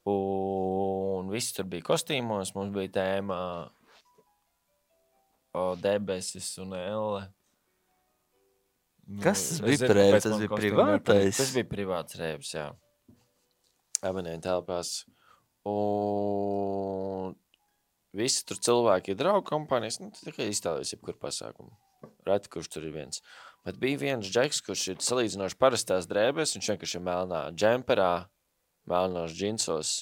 Un visi tur bija kostīmos. Mums bija tēma o, debesis un elle. Nu,
Kas tas
es
bija
zinu,
par reivi?
kāpēc
Tas
man
bija
kostīmi
privātais?
nepatīk. Tas bija privāts reivs, jā. Abonēju telpās. Un visi tur cilvēki ir draugu kompānijas. Nu, tā kā iztēlojas jebkur pasākumu. Reti, kurš tur ir viens. Bet bija viens džeks, kurš ir salīdzinoši parastās drēbēs. Viņš vienkārši ir melnā džemperā, melnos džinsos.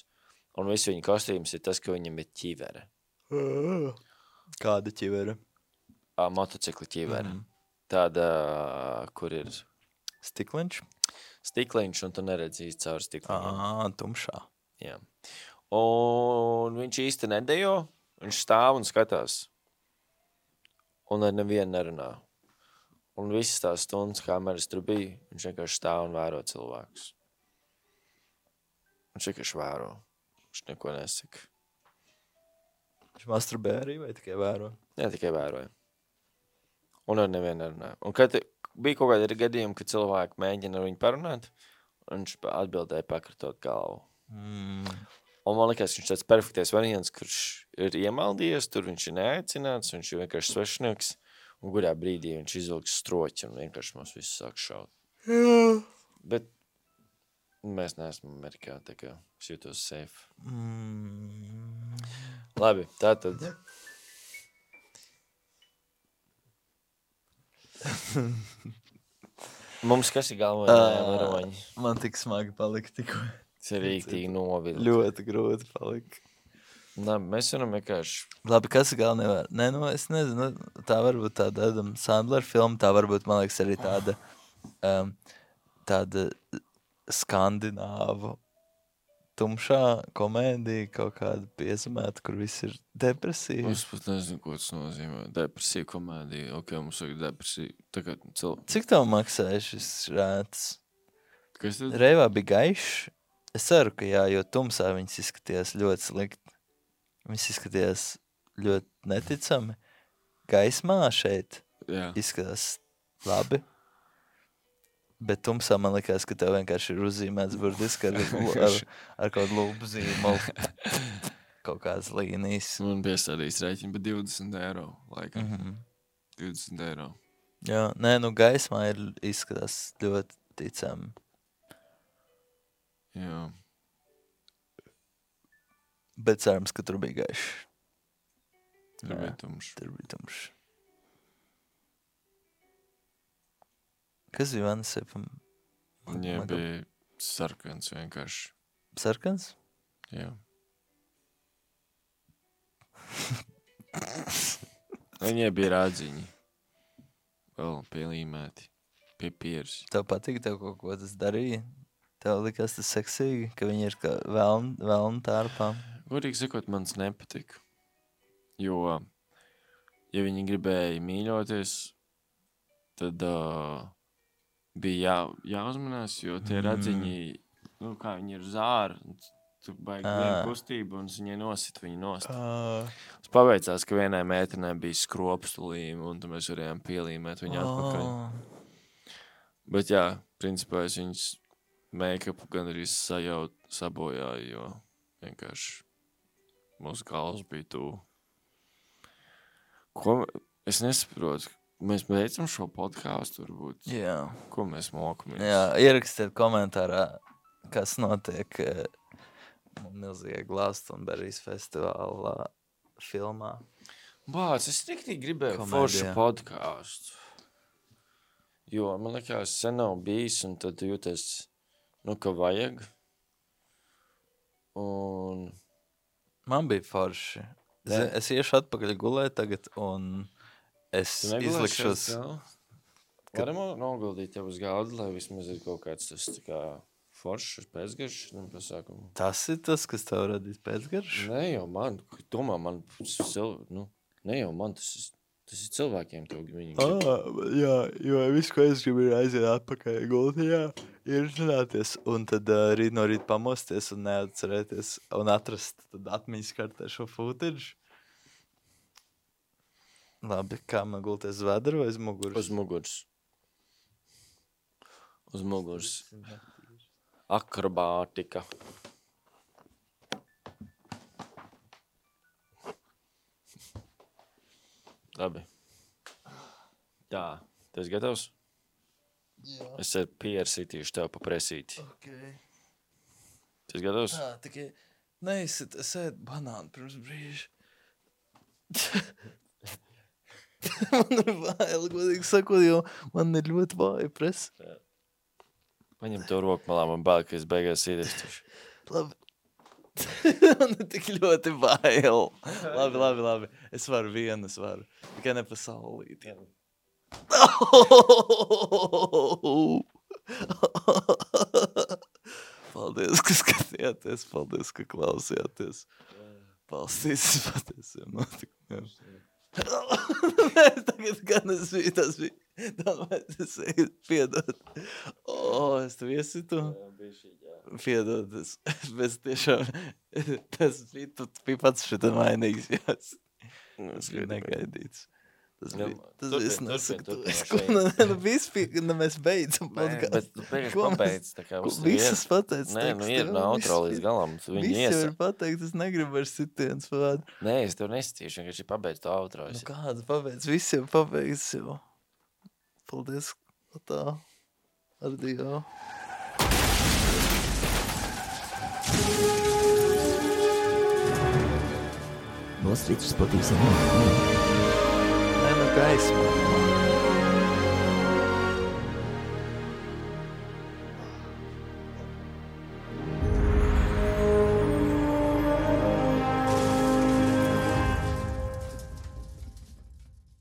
Un visu viņa kostīms ir tas, ka viņam ir ķivere.
Kāda ķivera?
Ā, motocikla ķivere.
Mhm.
Tāda, kur ir
Stikliņš?
stikliņš, un tu neredzi īsti caur stikliņiem.
Ā, tumšā.
Jā. Un viņš īsti nedejo, viņš stāv un skatās. Un ar nevienu nerunā. Un visas tās stundas kameras tur bija, viņš vienkārši stāv un vēro cilvēkus. Viņš vienkārši vēro. Viņš neko nesaka.
Viņš masturbē arī vai tikai vēro?
Jā, tikai vēroja. Un ar nevienu nerunā. Un kad bija kaut kādi gadījumi, kad cilvēki mēģina ar viņu parunāt, viņš atbildēja pakratot galvu.
Mm.
Un man liekas, viņš tāds perfektais variants, kurš ir iemaldījies, tur viņš ir neaicināts, viņš ir vienkārši svešnieks, un kurā brīdī viņš izvilks stroķi un vienkārši mums visus sāk šaut.
Jā.
Bet mēs neesam Amerikā, tā kā es jūtos safe.
Mm.
Labi, tātad. Mums kas ir galvā varoņi?
Man tik smagi palika tikko.
Tas ir rīktīgi novilkt.
Ļoti grūti palika.
Labi, mēs varam vienkārši...
Labi, kas ir galvenā nevar? Nē, nu, es nezinu, tā varbūt tāda Adam Sandler filma, tā varbūt, man liekas, arī tāda, um, tāda skandināvu tumšā komēdija, kaut kāda piezemēta, kur viss ir depresija.
Es pat nezinu, ko tas nozīmē. Depresija komēdija. Ok, mums vajag depresija. Tagad cil...
Cik tev maksāja šis rēts?
Kas tad?
Reivā bija gaišs. Es ceru, ka jā, jo tumsā viņas izskatījās ļoti slikti. Viņas izskatījās ļoti neticami. Gaismā šeit
Jā.
izskatās labi. Bet tumsā man likās, ka tev vienkārši ir uzzīmēts burtiski ar, ar, ar kaut kādu lūpu zīmolu. Kaut kādas līnijas.
Man piestādījis rēķinu, bet divdesmit eiro laikam.
Mhm.
divdesmit eiro.
Jā, nē, nu gaismā ir izskatās ļoti ticami.
Jā.
Bet cerams, ka tur bija gaišs.
Tur
Jā.
bija tumšs.
Tur bija tumšs. Kas bija Vanesepam?
Viņai bija sarkans vienkārši.
Sarkans?
Jā. Viņai bija rādziņi. Vēl pielīmēti. Pipieris.
Tev patīk, tev kaut ko tas darīja? Tev likās tas seksīgi, ka viņi ir kā veln, veln tārpā?
Godīgi sakot, man tas nepatika. Jo, ja viņi gribēja mīļoties, tad uh, bija jā, jāuzmanās, jo tie
Mm.
radziņi, nu kā viņi ir zāri, tu baigi
Ā.
vienu kustību un es viņai nosit viņu nost.
Uh,
Es paveicās, ka vienai mētenē bija skropstulīme un tad mēs varējām pielīmēt viņu atpakaļ.
oh.
Bet jā, principā es viņas make-upu gan arī sajaut, sabojāju, jo vienkārši mūsu galvas bija tuvu. Ko es nesaprotu? Mēs beidzam šo podcastu varbūt.
Jā.
Ko mēs mokamies?
Jā, ierakstiet komentārā, kas notiek eh, milzīgajā Glastonbury's festivālā filmā.
Bāc, es tikai gribēju
Komēdijā.
foršu podcastu. Jo, man liekas, sen nav bijis, un tad jūties, nu, ka vajag. Un
Man bija forši. Es,
Nē.
es iešu atpakaļ gulēt tagad, un es
tu negulēsi
izlikšos...
šeit vēl? Varam noguldīt tev uz galda, lai vismaz ir kaut kāds tas tā kā foršs pēcgaršs, nu, pasākumu.
Tas ir tas, kas tev radīs pēcgaršu?
Ne jau man, domā man, sil- nu, ne jau man, tas ir, tas ir cilvēkiem tev, viņi grib.
Ah, jā, jo viss, ko es gribu, ir aiziet atpakaļ gultī, jā, ir runāties, un tad uh, rīt no rīt pamosties un neatcerēties, un atrast tad atmiņas kartē šo footage. Labi, kā man gulties uz vedra vai uz muguras?
Uz muguras. Uz muguras. Akrobātika. Labi. Tā, tu esi gatavs?
Jā.
Es ar pieru sitīšu tev pa presīti.
Okay.
Tu esi gatavs?
Tā, tikai neizsit, es ēdu banānu pirms brīža. Man ir bail, godīgi sakot, jo man ir ļoti vāja presa.
Paņem to roku malā, man bail, ka es beigās iedēstuši.
Labi. Man ir tik ļoti bail. Labi, labi, labi. Es varu vienu, es varu. Tikai ne pa saulīti. Paldies, ka skatījāties. Paldies, ka klausījāties. Paldies patiesiem notikumiem. Nē, tagad gan es biju, tas bija. Domāju, es eju, piedod. O, es tev iesitu. Piedod, es, es tiešām, tas bija, tu bija pats šitā mainīgs, jās. Tas bija negaidīts. Tas
Jā,
bija, tas
turpin,
bija, es
turpin,
nesaku,
turpin
tu, es,
no
ko,
šeit.
nu, nu, viss bija, nu, mēs beidzam
Nē, bet
podcastu.
tu beigās
Ko mēs-
pabeidz, tā kā
ko
uz tevi ir.
Visas pateic
Nē, nu ir no outro līdz galam, tu viņu
Visi jau
iesa.
ir pateikt, es negribu vairs sitiens vārdu.
Nē, es tev nestīšu, vienkārši pabeidz to outro.
Nu
Es-
kāds pabeidz, visi jau pabeidz jau. Paldies, tā. Ardijo.
Nostrīdus patīsim.
Nē, nu gaisma.